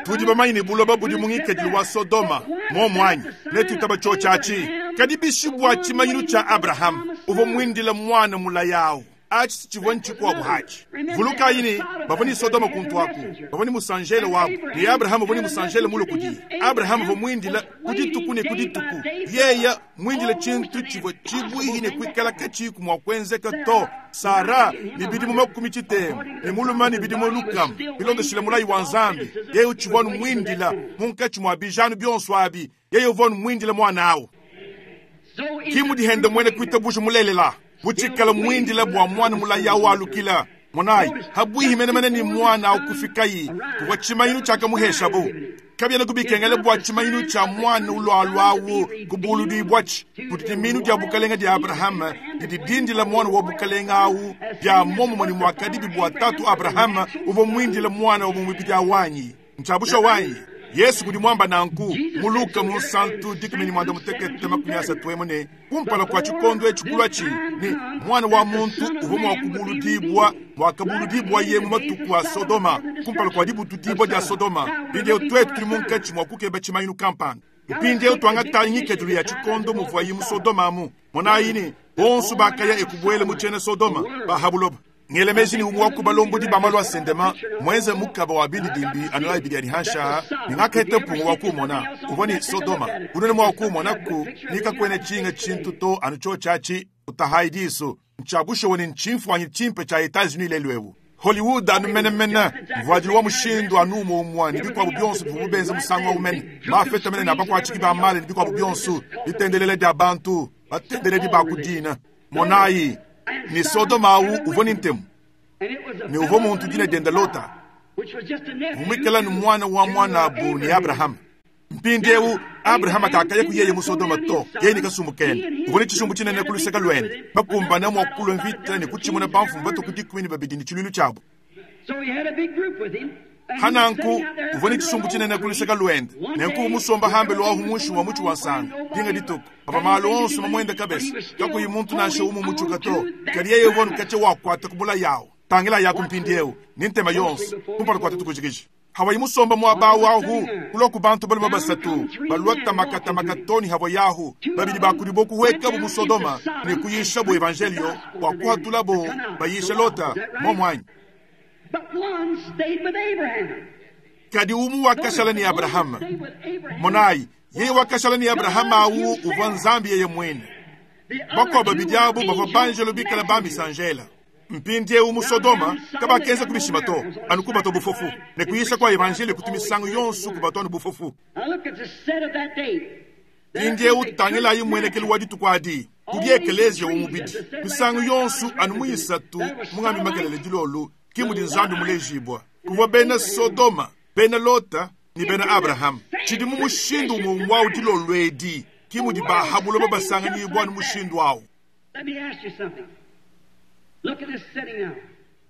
Tudi bamanye ne buloba budi mu ngikadilu wa Sodoma, momwanyi, netwitaba cho chachi. Kadi bishibwa tshimanyinu tsha Abraham, uvua mwindila mwana mulayawu. Achi tshivua ntshikuabu hachi. Vulukayi ne bavua ni Sodoma kuntwaku, bavua ni musanjele wabu, ne Abraham uvua ni musanjele mulo kudiye. Abraham uvua mwindila ku dituku ne ku dituku. Yeya mwindila tshintu tshivua tshibuihi ne kuikala katshiku mua kuenzeka to. Sara ni bidimu makumi tshitema, ne muluma ni bidimu lukama, bilondeshile mulayi wa Nzambi. Yeye utshivua numwindila munkatshi mua bijanu bionso abi. Yeye uvua numwindila mwana awu. Kimudihenda mwene kuitabusha mulelela. Butshikala mwindila bua mwana mulaya walukila. Monayi, habwihi menemene ni mwana awu kufikayi, kuvua tshimanyinu tshiakamuheshabu. Kabiena kubikengela bua tshimanyinu tshia mwana ulwalwawu kubuludibwatshi. Kuti minu dia bukalenga dia Abrahama didi dindila mwana wa bukalenga awu dia momumue ni mwakadibi bua tatu Abrahama uvua mwindila mwana wa mumubidi awanyi. Ntshabusha wanyi. Yesu kudi mwamba nanku muluka mu santu dikumi mwanda mutekete makumi asatu emu ne kumpala kwa tshikondo etshi ni mwana wa muntu uvua mua kubuludibwa mwakabuludibwa ye mu matuku a Sodoma kumpala kwa dibutudibwa dia Sodoma. Mpindieu twetu tuli munkatshi mua kukeba tshimanyinu kampanda. Mpindieu twangata ngikadilu ya tshikondo muvuayi mu Sodoma amu. Monayi ne bonso bakaya ekubuele mu tshiena Sodoma bahabuloba. Ngelemeji ni umwe wakubalombo di bamalu asendema mwenze mukaba wa bididimbi anola ibidi ya dihansha ni ngakete mpungu wa kumona uvua ni Sodoma unene mwa kumona ku nikakwene chinga chintu to anucho chachi utahaidiso nchabusho ni nchimfwanyi chimpe cha Etats-Unis lelwewu Hollywood anu menemene mvuadilu wa mushindu anu umwe ni bikwabu bionso bivububenze musango wa umene mafeta mene na bakwachiki ba male ni bikwabu bionso bitendelele dia bantu batendelele bakudina monayi ni Sodoma awu uvua ni ntemu ni uvua muntu dina dienda Lota vumwikala ni mwana wa mwanabu ni Abraham. Mpindieu Abraham akakaya kuyeye mu Sodoma to yeye ni kasumbu kene uvua ni tshishumbu tshinene kuluseka lwene bakumbana mua kulwa mvita ni kutshimuna bamfumu batuku dikumi ni babidi ni tshiluilu tshiabu. Hananku uvua ni tshishumbu tshinene kuluseka lwende nenku musomba hambe lwahu mushi wa mutshi wa nsanga dinga dituku papa malu onso mamwenda kabesa kakuyi muntu nansha umu mutshuka to kadi yeye uvua nukatshia wakwata kubula yawu tangila yaku mpindieu ni ntema yonso kumpala kwa tutukujikiji. Hawayi musomba mwabawu ahu kuloku bantu baluma basatu balwa tamakatamaka havo yahu babidi bakudi bokuweka bu mu Sodoma ne kuyisha bo evangelio bua kuhatula bo bayisha Lota momwanyi. Kadi umu wakashala ni Abrahama. Monayi yeye wakashala ni Abrahama awu uvua Nzambi yeye mwene. Bakwa babidi abo bavua banjelo bikala bambisanjela. Mpindieu mu Sodoma kabakenza kubishima to anu kubato bufofu ne kuyisha kwa evangelio kutumisango yonso kubato anu bufofu. Mpindieu tangilayi mwenekelu wa dituku adi kudi ekelezia umubidi misango yonso anu muyisatu mungambi makelele dilolu kimudi Nzambi mulejibwa kuvua bena Sodoma bena Lota ni bena Abraham tshidi mu mushindu umwe wawu dilolu edi kimudi bahabuloba basanganyibwa anu mushindu awu.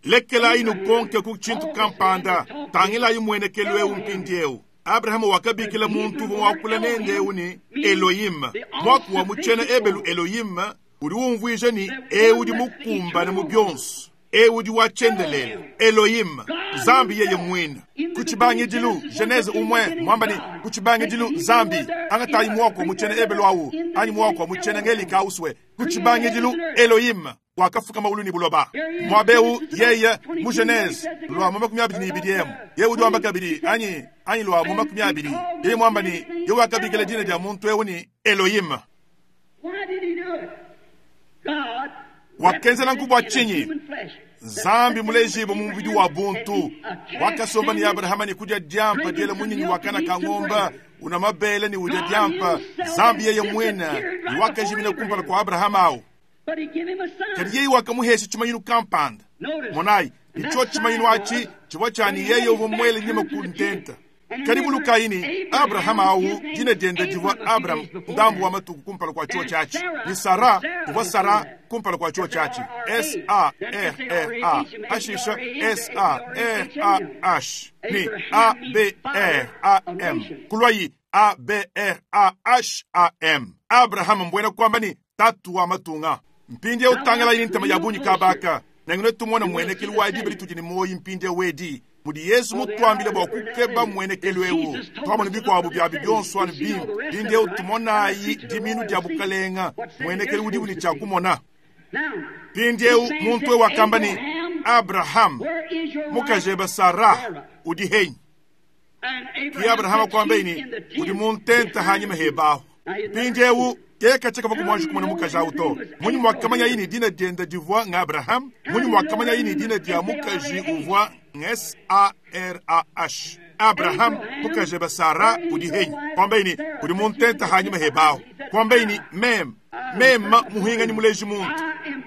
Lekelayi nukonke ku tshintu kampanda tangilayi mwenekelu eu mpindieu. Abraham wakabikila muntu uvua wakula nende eu ni Elohim. Mwaku wa mutshena ebelu Elohim udi umvuija ni eu udi mukumbane mu bionso, eu udi wachendelela Elohim Nzambi yeye mwine. Kutshibangidilu Genese umwe mwamba ni kutshibangidilu Nzambi angatayi mwako mutshena ebelu awu anyi mwako mutshena ngelika uswe kutshibangidilu Elohim Wakafuka mawulu ne buloba. Muaba eu, yeye, mu Genese, lua mu 22 emu, yeye udi wamba kabidi, anyi, anyi lua mu 20, yeye muamba ne, yeye wakabikila dina dia muntu eu ne Elohim. Why did he do it? God Wakenza nanku bua represented in tshinyi? human flesh. Nzambi mulejibwe mu mubidi wa buntu wakasomba ne Abrahama ne kudya diampa diela munyinyi wa kana ka ng'omba una mabele ne udya diampa. Nzambi yeye mwene ne wakajimina kumpala kwa Abrahama awu. But he gave him a sign. Kadi yeye wakamuhesha tshimanyinu kampanda. Notice. Monayi, icho tshimanyinu achi chivua chani yeye uvua mwele nyima ku ntenta. Kadi bulukayi Abrahama awu dina diende divua Abraham ndambu wa matuku kumpala kwa chuo chachi. Ni Sara uvua Sara kumpala kwa chuo chachi. S A R R A ashisha S A R A H ni A B R A M kulwayi A B R A H A M. Abraham mbwena kwamba ni tatu wa matunga. Mpindi utangala yini ntama ya bunyi kabaka. Nangine tumona mwenekelu wa dibeli tudi ni moyi mpindi wedi. Mudi Yesu mutwambile bwa kukeba mwenekelu ewu. Twamona bikwabu bya bibyonso anu bimpe. Mpindi tumonayi diminu dya bukalenga. Mwenekelu udi buli tshia kumona. Now, Mpindi eu muntu ewu wakamba ni Abraham where is your wife? mukajeba Sara udi henyi. And Ki Abrahama said, kwamba "She's ini in the tent udi muntenta hanyuma hebaho. Mpindi eu kekacheka vakumwanji kumona mukaji awu to. Munyi mwakamanya yini dina dienda divua nga Abraham, munyi mwakamanya yini dina dia mukaji uvua nga S A R A H. Abraham mukaji ba Sara udi henyi. Kwamba ini udi muntenta hanyuma hebaho. Kwamba ini mem mema muhinga ni muleji muntu.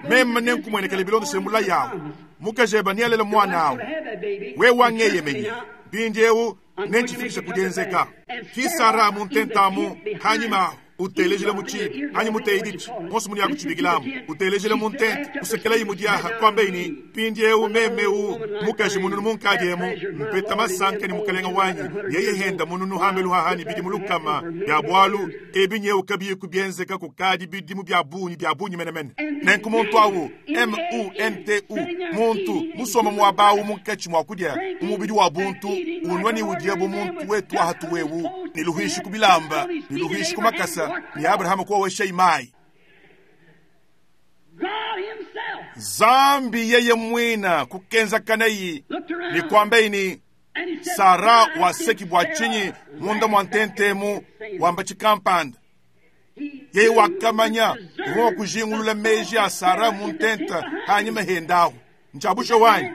Mema nenkumwenekele bilondo semula yawo. Mukaji ba nialela mwana awu. Have that baby. We wangeyemenye mpindi eu nenchifikisha kudenzeka ki Sara muntentamu hanyuma utelejele muchibi anyi muteidichi monso muni yakuchibikilamu utelejele muntente usekela imu diaha kwamba ini mpindi eu memeu mukaji mununu munkadi emu mpeta masanka ni mukalenga wanyi yeye henda mununu hambelu hahani bidi mulukama bya bwalu ebi nyeu kabiyi kubyenzeka kukadi bidimu bya bunyi bya bunyi menemene nenku muntu awu m-u-n-t-u muntu musoma mwabawu munkatshi mwa kudya umubidi wa buntu unwa ni udiya bu muntu wetu ahatu wewu ni luhishi ku bilamba ni luhishi ku makasa ni Abrahamu kuwawesha imayi God himself Zambi yeye mwina kukenza kanayi looked around ni kwamba ini and he said, Sara "Why waseki did bwa Sarah chinyi munda mwa ntentemu laugh?" wamba chikampanda He yeye wakamanya deserved uva wakujingulula meji a Sara muntenta hanyuma hendaho nchabusho wanyi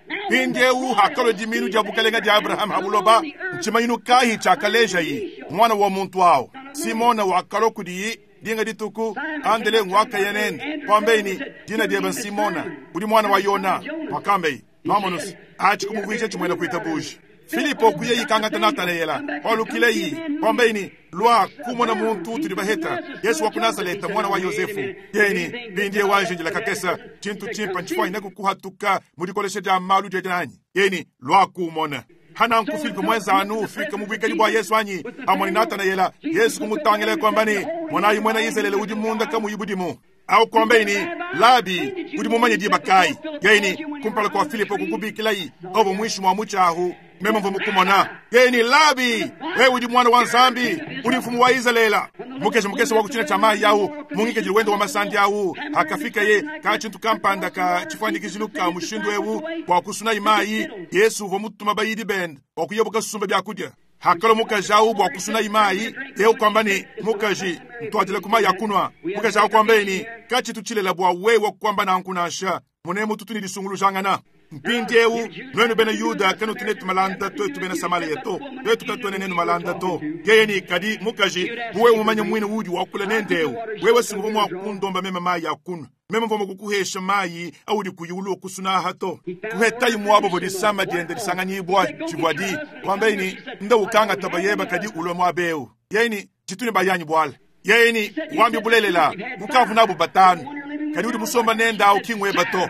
Now mpindi eu hakalo diminu dia bukalenga dia Abrahamu habuloba nchimanyinu kahi chakaleja yi mwana wa muntu awo Simona wakalo kudiyi dinga dituku andele ngwaka yenende kwambeini dina dieba Simona udi mwana wa Yona wakambeyi mamonusi achi kumuvwisha chimwena kuita buji Filipo kuye yikangata Natanayela walukileyi kwambeini lwa kumona muntu tuli baheta Yesu wa ku Nazareta mwana wa Yosefu yeni bindie wanjinjila kakesa chintu chimpa nchifwanyina kukuhatuka mudikolesha dia malu jejananyi yeni lwa kumona hananku Filipo mwenzanu ufika mubwikali bwa Yesu anyi amoni Natanayela Yesu kumutangile kwambani mwanayi mwena Israeli udi munda kamuyibudimu au kwambeini labi udi mumanye dibakayi yeni kumpala kwa Filipo kukubikilayi obo mwishi mwa muchahu meme mvo mukumona yeni labi wewe udi mwana wa nzambi udi mfumu wa Israela mukesha mukesha wa kuchina cha mayi yawu mungike wendo wa masandi yawu hakafika ye ka chintu kampanda ka chifwanikizilu ka mushindu ewu kwa kusuna imayi Yesu uvo mutuma bayidi bende wakuyebuka susumba byakudya hakalo mukaji awu bwa kusuna imayi eu kwamba ni mukaji ntwadile kumayi akunwa mukaji awu kwamba ini kachitu chilela bwa wewe kwamba nankunansha munemu tutu ni lisungulujangana mpindi eu nwenu bena Yuda kanu tunetu malanda twetu bena Samaria to twetu katwene nenu malanda to yeye ni kadi mukaji buwe umanye mwine udi wakula nendeu wewe singuvo mwakundomba mema mayi akunwa meme mvomo kukuhesha mayi audi kuyulu okusunaha to kuhetayi mwabo vodisama diende lisanganyibwa chibwadi kwamba ini nda ukanga tabayeba kadi ulwe mwabeu yeni chituni bayanyi bwala yeni wambi bulelela mukavu nabo batanu kadi udi musomba nenda au kingweba to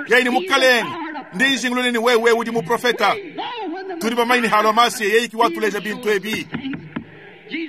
yeni mukalenge ndijingululeni wewe udi muprofeta tuli bamaini halo masi yeyi kiwatuleja bintu ebi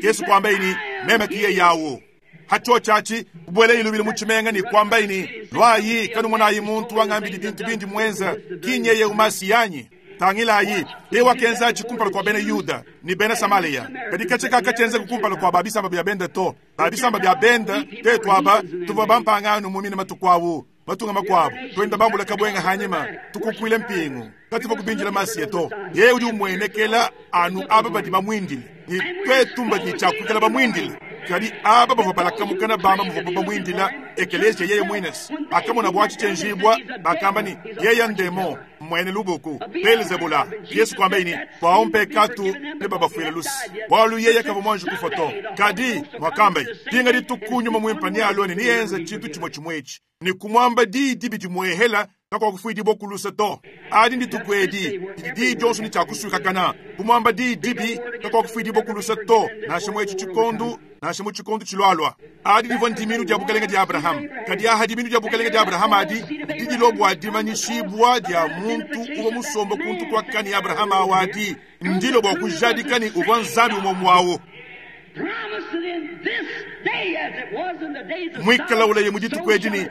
Yesu kwamba ini meme kiye yawo hacho chachi kubwele ilubile muchimenga ni kwamba ini lwayi kanu mwanayi muntu wangambili bintu bindi mwenza kinyeye umasi yanyi Tangilayi, yeye wakenza atshi kumpala kua bena Yuda ne bena Samaleya, kadi katshia kakatshienzeka kumpala kua ba bisamba bia bende to. Ba bisamba bia bende tetu aba tuvua bampangano mu mine matuku awu, matunga makuabu, tuenda bambula kabwenga hanyima, tukukuile mpingu, katuvua kubindila Masiya to. Yeye udi umuenekela anu aba badi bamuindile, ne tuetu mbadi ne tshia kuikala bamuindile. Kadi aba bavua balakamukana bamba muvuabu bamuindila, ekeleziya yeye muine akamona bua tshienjibua, bakamba ne, yeye ndemo mmuene lubuku Belzebula. Yesu kuambaye ne, bua mpekatu ne babafuile luse, bualu yeye kavua muanji kufua to. Kadi muakambaye, dinga dituku nyuma muimpe nealue ne neyenze tshintu tshimue tshimue etshi, ne kumuamba diyi dibi dimuehela kakuakufuidibua ku luse to. Adi ndituku edi didi diyi dionso ne tshiakusuikakana. Kumuamba diyi dibi kakuakufuidibua ku luse to, nansha mu etshi tshikondu, nansha mu tshikondu tshilualua. Adi divua ndiminu dia bukalenge dia Abrahama. Kadi aha diminu dia bukalenge dia Abrahama adi didi dilua bua dimanyishibua dia muntu uvua musombe kuntu kuakane Abrahama awu adi ndilo bua kujadika ne uvua Nzambi umue muawu. Muikala ulaye mu dituku edi ne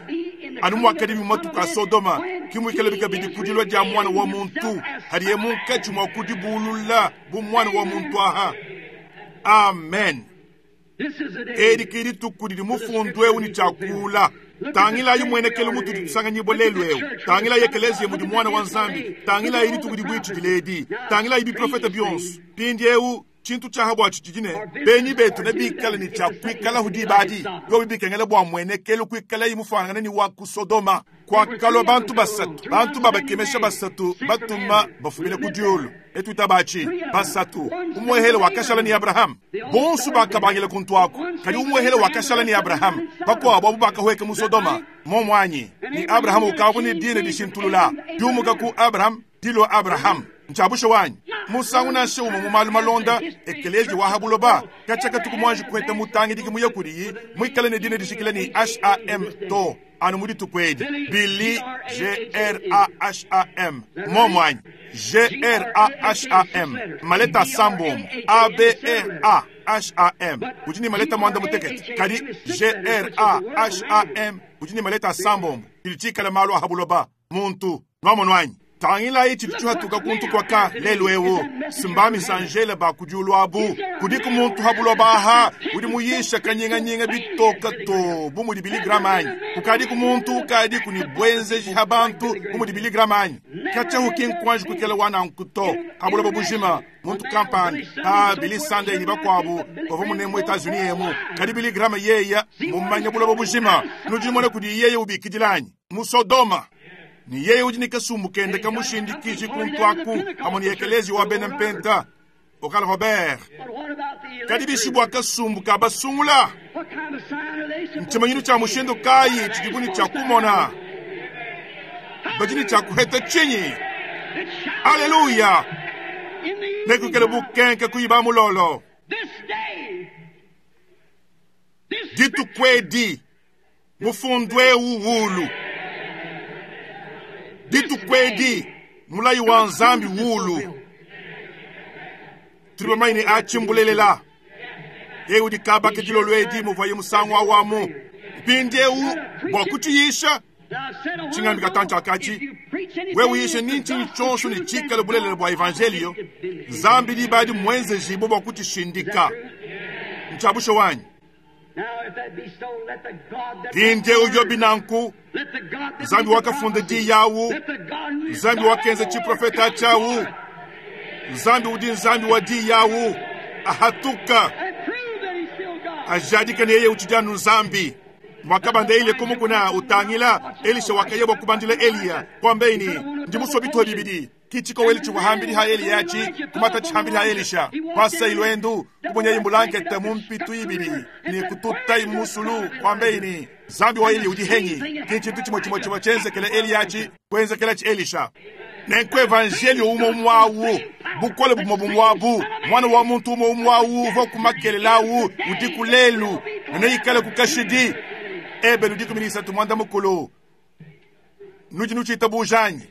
anu muakadibi mu matuku a Sodoma, ke muikalabi kabidi ku dilua dia Muana wa muntu, hadiye munkatshi mua kudibulula bu Muana wa muntu aha. Amen. Edi ke dituku didi mufundu eu ne tshiakula. Tangilayi muenekelu mutudi tusanganyibua lelu eu. Tangilayi ekeleziya mudi Muana wa Nzambi. Tangilayi dituku dibuitshidile edi. Tangilayi biprofete bionso. Mpindieu tshintu tshiaha buatshi tshidi ne benyi betu nebikale ne tshia kuikalahu diba adi, biobi bikengela bua muenekelu kuikalayi mufuanangane ne wa ku Sodoma. Kuakalua bantu basatu, bantu babakemesha basatu batuma bafumine ku diulu. Netuitabatshi basatu. Umuehele wakashala ne Abrahama. Bonso bakabangila kuntu aku, kadi umuehele wakashala ne Abrahama. Bakuabu abu bakahueka mu Sodoma momu anyi? Ne Abrahama ukavua ne dina dishintulula, diumuka ku Abraham dilua Abrahama. Ntshiabusha wanyi musangu nansha umue mu malu malonda ekeleziya wa ha buloba katshia katuku muanji kuheta mutangidiki muye kudiyi muikale ne dina dishikila ne HAM to, anu mu dituku edi Billy G-R-A-H-A-M momu anyi? G-R-A-H-A-M maleta asambombo A-B-R-A-H-A-M udi ne maleta muanda mutekete, kadi G-R-A-H-A-M udi ne maleta asambombo tshidi tshikale malu a ha buloba muntu nwamonu anyi? Tangilayi tshidi tshihatuka kuntu kuaka lelu eu, simba misanjele ba ku diulu abu. Kudiku muntu ha buloba aha udi muyisha kanyinganyinga bitoka to bu mudi Billy Graham anyi? Kukadiku muntu ukadiku ne buenzeji ha bantu bu mudi Billy Graham anyi? Katshia ki nkuanji kuikala wa nanku to ha buloba bujima. Muntu kampanda pa Billy Sunday ne bakuabu bavua mune mu Etats-Unis emu, kadi Billy Graham yeya mumanya buloba bujima. Nudi numona kudi yeye ubikidila anyi? Mu Sodoma. Ne yeye udi ne kasumbu kende kamushindikiji kuntu aku pamue ne ekeleziya wa bena mpenta Oral Robert. Kadi bishi bua kasumbu ka basungula? Ntshimanyinu tshia mushindu kayi tshidibu ne tshia kumona? Badi ne tshia kuheta tshinyi? Aleluya! Nekuikale bukenke kuiba mulolo. Dituku edi mufundu eu wulu. Dituku edi mulayi wa Nzambi wulu. Tudi bamanye ne atshi mbulelela. Yeye udi kabaka dilolo edi muvuaye musangu awamu. Mpindieu bua kutshiyisha tshingambi katantshi akatshi, wewe uyishe ni ntshinyi tshionso ne tshikale bulelela bua evanjelio, Nzambi diba adi muenzejibue bua kutshishindika. Ntshia bushuwa anyi? Mpindieu biobi nanku, Nzambi wakafunda diyi awu, Nzambi wakenza tshiprofeta atshi awu, Nzambi udi Nzambi wa diyi awu, ahatuka ajadika ne yeye utshidi anu Nzambi. Mwakabanda Eliya ku mukuna utangila, Elisha wakaya bua kubandila Eliya, kuambaye ne, ndi musue bituha bibidi. Ki tshikowelu tshivua hambidi ha Eliya atshi kumata tshihambidi ha Elisha. Kuasayi luendu, kubonyayi mbulankete mu mpitu ibidi ne kututayi mu musulu, kuambaye ne, Nzambi wa Eliya udi henyi? Ki tshintu tshimue tshimue tshivua tshienzekele Eliya atshi kuenzekelatshi Elisha. Nenku evanjelio umue umue awu, bukole bumue bumue abu, Muana wa muntu umue umue awu uvua ku makelela awu udiku lelu ne neikaleku kashidi. Ebelu 13 muanda mukulu. Nudi nutshitabuja anyi?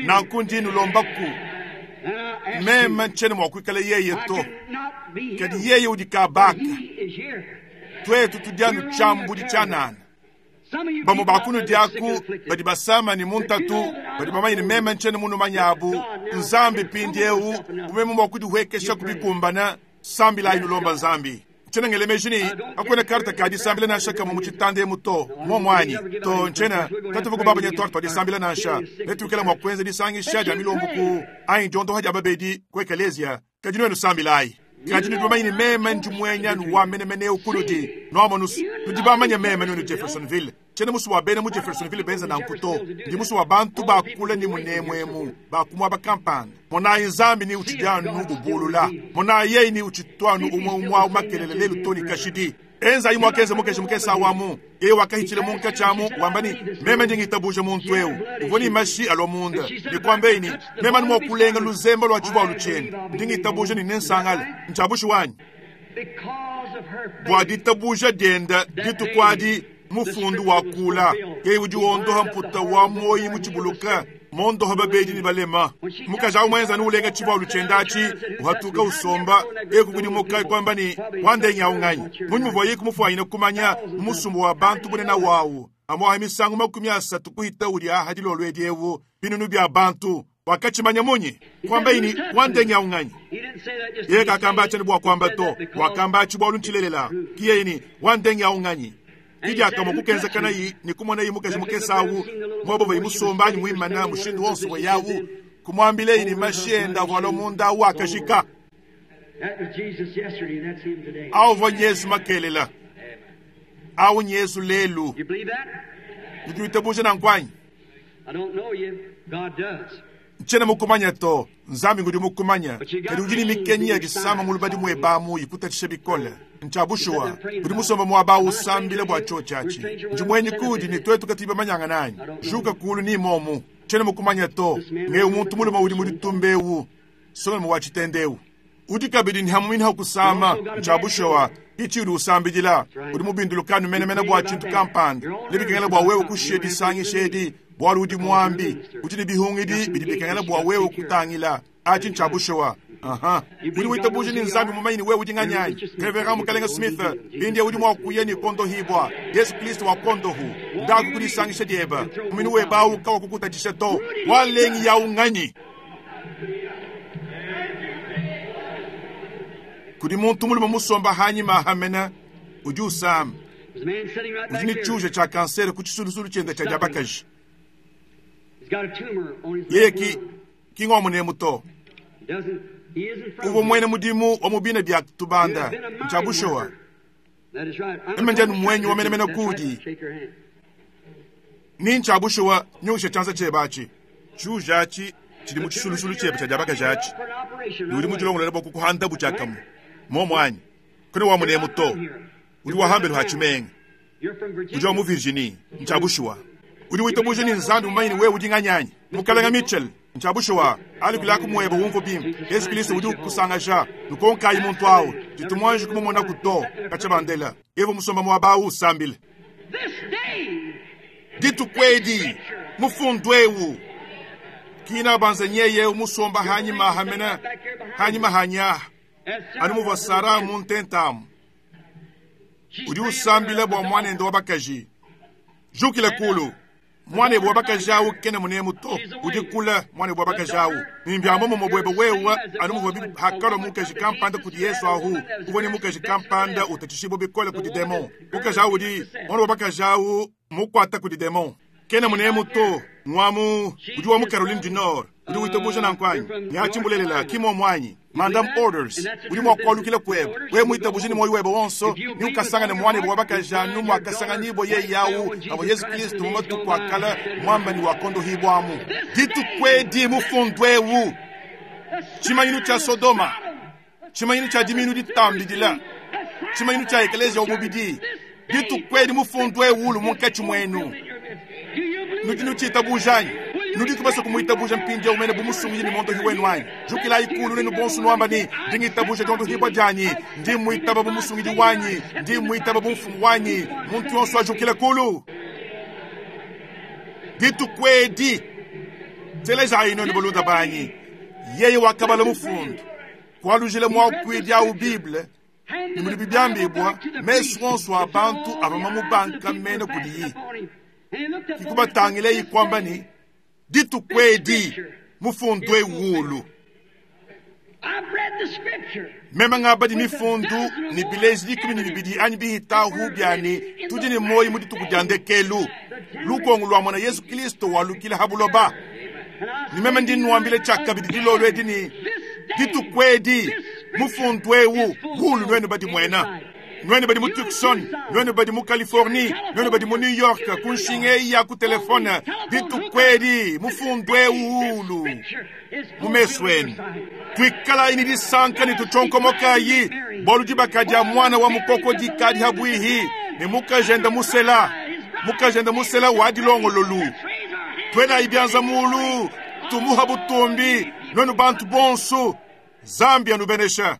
Nanku ndi nulombaku, meme ntshiena mua kuikala yeye to, kadi yeye udi kabaka. Tuetu tudi anu tshiambudi tshianana. Bamue ba kunudi aku badi basama ne mu ntatu, badi bamanye ne meme ntshiena munumanye abu. Nzambi mpindieu, bu meme mua kudihuekesha kubikumbana, sambilayi nulomba Nzambi. Ntshiena ngela meji ne kakuena karta ka disambila nansha kamue mu tshitanda emu to, mmuomu anyi? To, ntshiena. Katuvua kubabanya tuarte tua disambila nansha. Netuikale mua kuenza disangisha dia milombu ku anyi diondoha dia babedi ku ekeleziya. Kadi nuenu sambilayi. Kadi nudi bamanye ne meme ndi muenya wa menemene eu kunudi. Nuamonus, nudi bamanye meme nuenu Jeffersonville. Tshiena musue bua bena mu Jeffersonville benza nanku to. Ndi musue bua bantu bakule ne munemu emu, ba ku muaba kampanda. Monayi Nzambi ni utshidi anu ubulula. Monayi yeye ni utshitu anu umue umue au makelela lelu to ne kashidi. Enzayi muakenza mukeji mukese awu amu. Yeye wakahitshila munkatshi amu, wamba ne, Meme ndi ngitabuja muntu eu. Uvua ne mashi alua munda, ne kuambeyi ne, Meme anu mua kulenga luzemba lua tshivualu tshiende, ndi ngitabuja ne nensangale. Ntshia bushuwa anyi? Bua ditabuja diende dituku adi, mufundu wakula, yeye udi wondoha mputa wa muoyi mutshibuluke, mondoha babedi ne balema. Mukaji awu muenza anu ulenga tshivualu tshiende atshi, uhatuka usomba, eku kudimuka kuamba ne, Wandengi awu nganyi? Munyi muvua yeye kumufuanyina kumanya mu musumba wa bantu bunene wawu, amuaha misangu 30 kuhita udi aha dilolo edi ewu, binunu bia bantu? Wakatshimanya munyi? Kuambaye ne, Wandengi awu nganyi? Yeye kakamba atshi anu bua kuamba to, wakamba atshi bualu ntshilelela. Ki yeye ne, Wandengi awu nganyi? Ki diakamue kukenzakanayi ne kumonayi mukaji mukese awu muaba uvuaye musomba anyi muimana mushindu wonso uvuaye awu, kumuambileyi ne mashi ende avua alua munda awu akajika. Awu uvua Yezu makelela, awu n'Yezu lelu. Nudi nuitabuja nanku anyi? Ntshiena mukumanya to, Nzambi ngudi mukumanya. Kadi udi ne mikenyi ya disama mu lubadi muebe amu ikutatshisha bikole. Ntshia bushuwa, udi musombe muaba awu usambila bua tshiotshi atshi. Ndi muenyi kuudi ne tuetu katuyi bamanyangana anyi? Juka kuulu ni momu. Tshiena mukumanya to. Ng'eu muntu mulume udi mu ditumba eu, nsongalume wa tshitende eu. Udi kabidi ne hamuinha kusama. Ntshia bushuwa, ki tshiudi usambidila. Udi mubindulukanu menemene bua tshintu kampanda. Nebikengela bua wewe kushiya disangisha edi, bualu udi muambi. Udi ne bihungidi bidi bikengela bua wewe kutangila. Atshi ntshia bushuwa. Aha. Udi witabuja ne Nzambi mumanye ne wewe udi nganyi anyi? Reverend Mukalenge Smith, mpindieu udi mua kuya ne kuondohibua. Yezu Kristo wakuondohu. Ndaku ku disangisha diebe. Muminu webe au kawakukutatshisha to. Walengi yawu nganyi? Kudi muntu mulume musomba hanyima hamena udi usama. Udi ne tshiuja tshia kansere ku tshisulusulu tshiende tshia dia bakaji. Yeye ki ki ngwa munemu to. Uvua muena mudimu wa mu bina bia tubanda. Ntshia bushuwa. Meme ndi anu muenyi wa menemene kuudi. Ni ntshia bushuwa, nyungisha tshianza tshiebe atshi. Tshiuja atshi tshidi mu tshisulusulu tshiebe tshia dia bakaji atshi, ne udi mudilongolole bua kukuhandabu tshiakamue. Muomu anyi? Kuena wa munemu to. Udi wa hambelu ha tshimenga. Udi wa mu Virginie. Ntshia bushuwa. Udi witabuja ne Nzambi mumanye ne wewe udi nganyi anyi? Mukalenge Mitchell, ntshia bushuwa. Alukilaku muebe umvue bimpe. Yezu Kristo udi ukusangaja. Nukonkayi muntu awu. Tshitu muanji kumumonaku to. Katshia bandela. Eva musomba muaba awu usambile. Dituku edi, mufundu eu kina banza nyeye eu musomba hanyima hamena hanyima hanyaha anu muvua Sara mu ntenta amu. Udi usambila bua muanende wa bakaji. Jukila kulu. Muanebe wa bakaji awu kena munemu to, udi kule muanebe wa bakaji awu. Ne mbia muomumue buebe wewe, anu muvuabi hakalua mukaji kampanda kudi Yezu ahu, uvua ne mukaji kampanda utatshishibua bikole kudi demon. Mukaji awu udi muana wa bakaji awu mukuata kudi demon. Kena munemu to, ngua mu udi wa mu Caroline du Nord. Udi witabuja nanku anyi? Neatshi mbulelela, ki muomu anyi? Madame Orders, udi mua kualukila kuebe. Wewe muitabuje ne muoyo webe wonso, ne ukasangane muanebe wa bakaji anu muakasanganyibua yeye awu avua Yezu Kristo mu matuku a kale muamba ne wakondohibuamu. Dituku edi mufundu eu, tshimanyinu tshia Sodoma, tshimanyinu tshia diminu ditambidila, tshimanyinu tshia ekeleziya wa mubidi, dituku edi mufundu eu ulu munkatshi muenu. Nudi nutshitabuja anyi? Nudiku basue kumuitabuja mpindieu mene bu musungidi ne muondohi wenu anyi? Jukilayi kulu nenu bonso nuamba ne, Ndi ngitabuja diondohibua dianyi, ndi mmuitaba bu musungidi wanyi, ndi mmuitaba bu mfumu wanyi. Muntu yonso ajukile kulu. Dituku edi, telejayi nuenu balunda banyi, yeye wakabala mufundu, kualujila muakuidi au Bible. Ne mudibi biambibua, mesu onso a bantu avua mamubankamene kudiyi. Ke kubatangilayi kuamba ne, Dituku edi mufundu eu ulu. Meme ngabadi mifundu ne bileji 12 anyi bihitahu bia ne tudi ne muoyo mu dituku dia ndekelu, lukongo lua mona Yesu Kilisto walukila ha buloba. Ne meme ndi nnuambila tshiakabidi dilolo edi ne, dituku edi mufundu eu ulu nuenu badimuena. Nuenu badi mu Tucson, nuenu badi mu Californie, nuenu badi mu New York, ku nshinga eyi ya ku telefone, dituku edi mufundu eu ulu mu mesu enu. Tuikalayi ne disanka ne tutshonkomokayi, bualu dibaka dia Muana wa Mukoko dikadi habuihi, ne mukajende musela, mukajende musela wa dilongololu. Tuelayi bianza mulu, tumuha butumbi, nuenu bantu bonso. Nzambi anubenesha.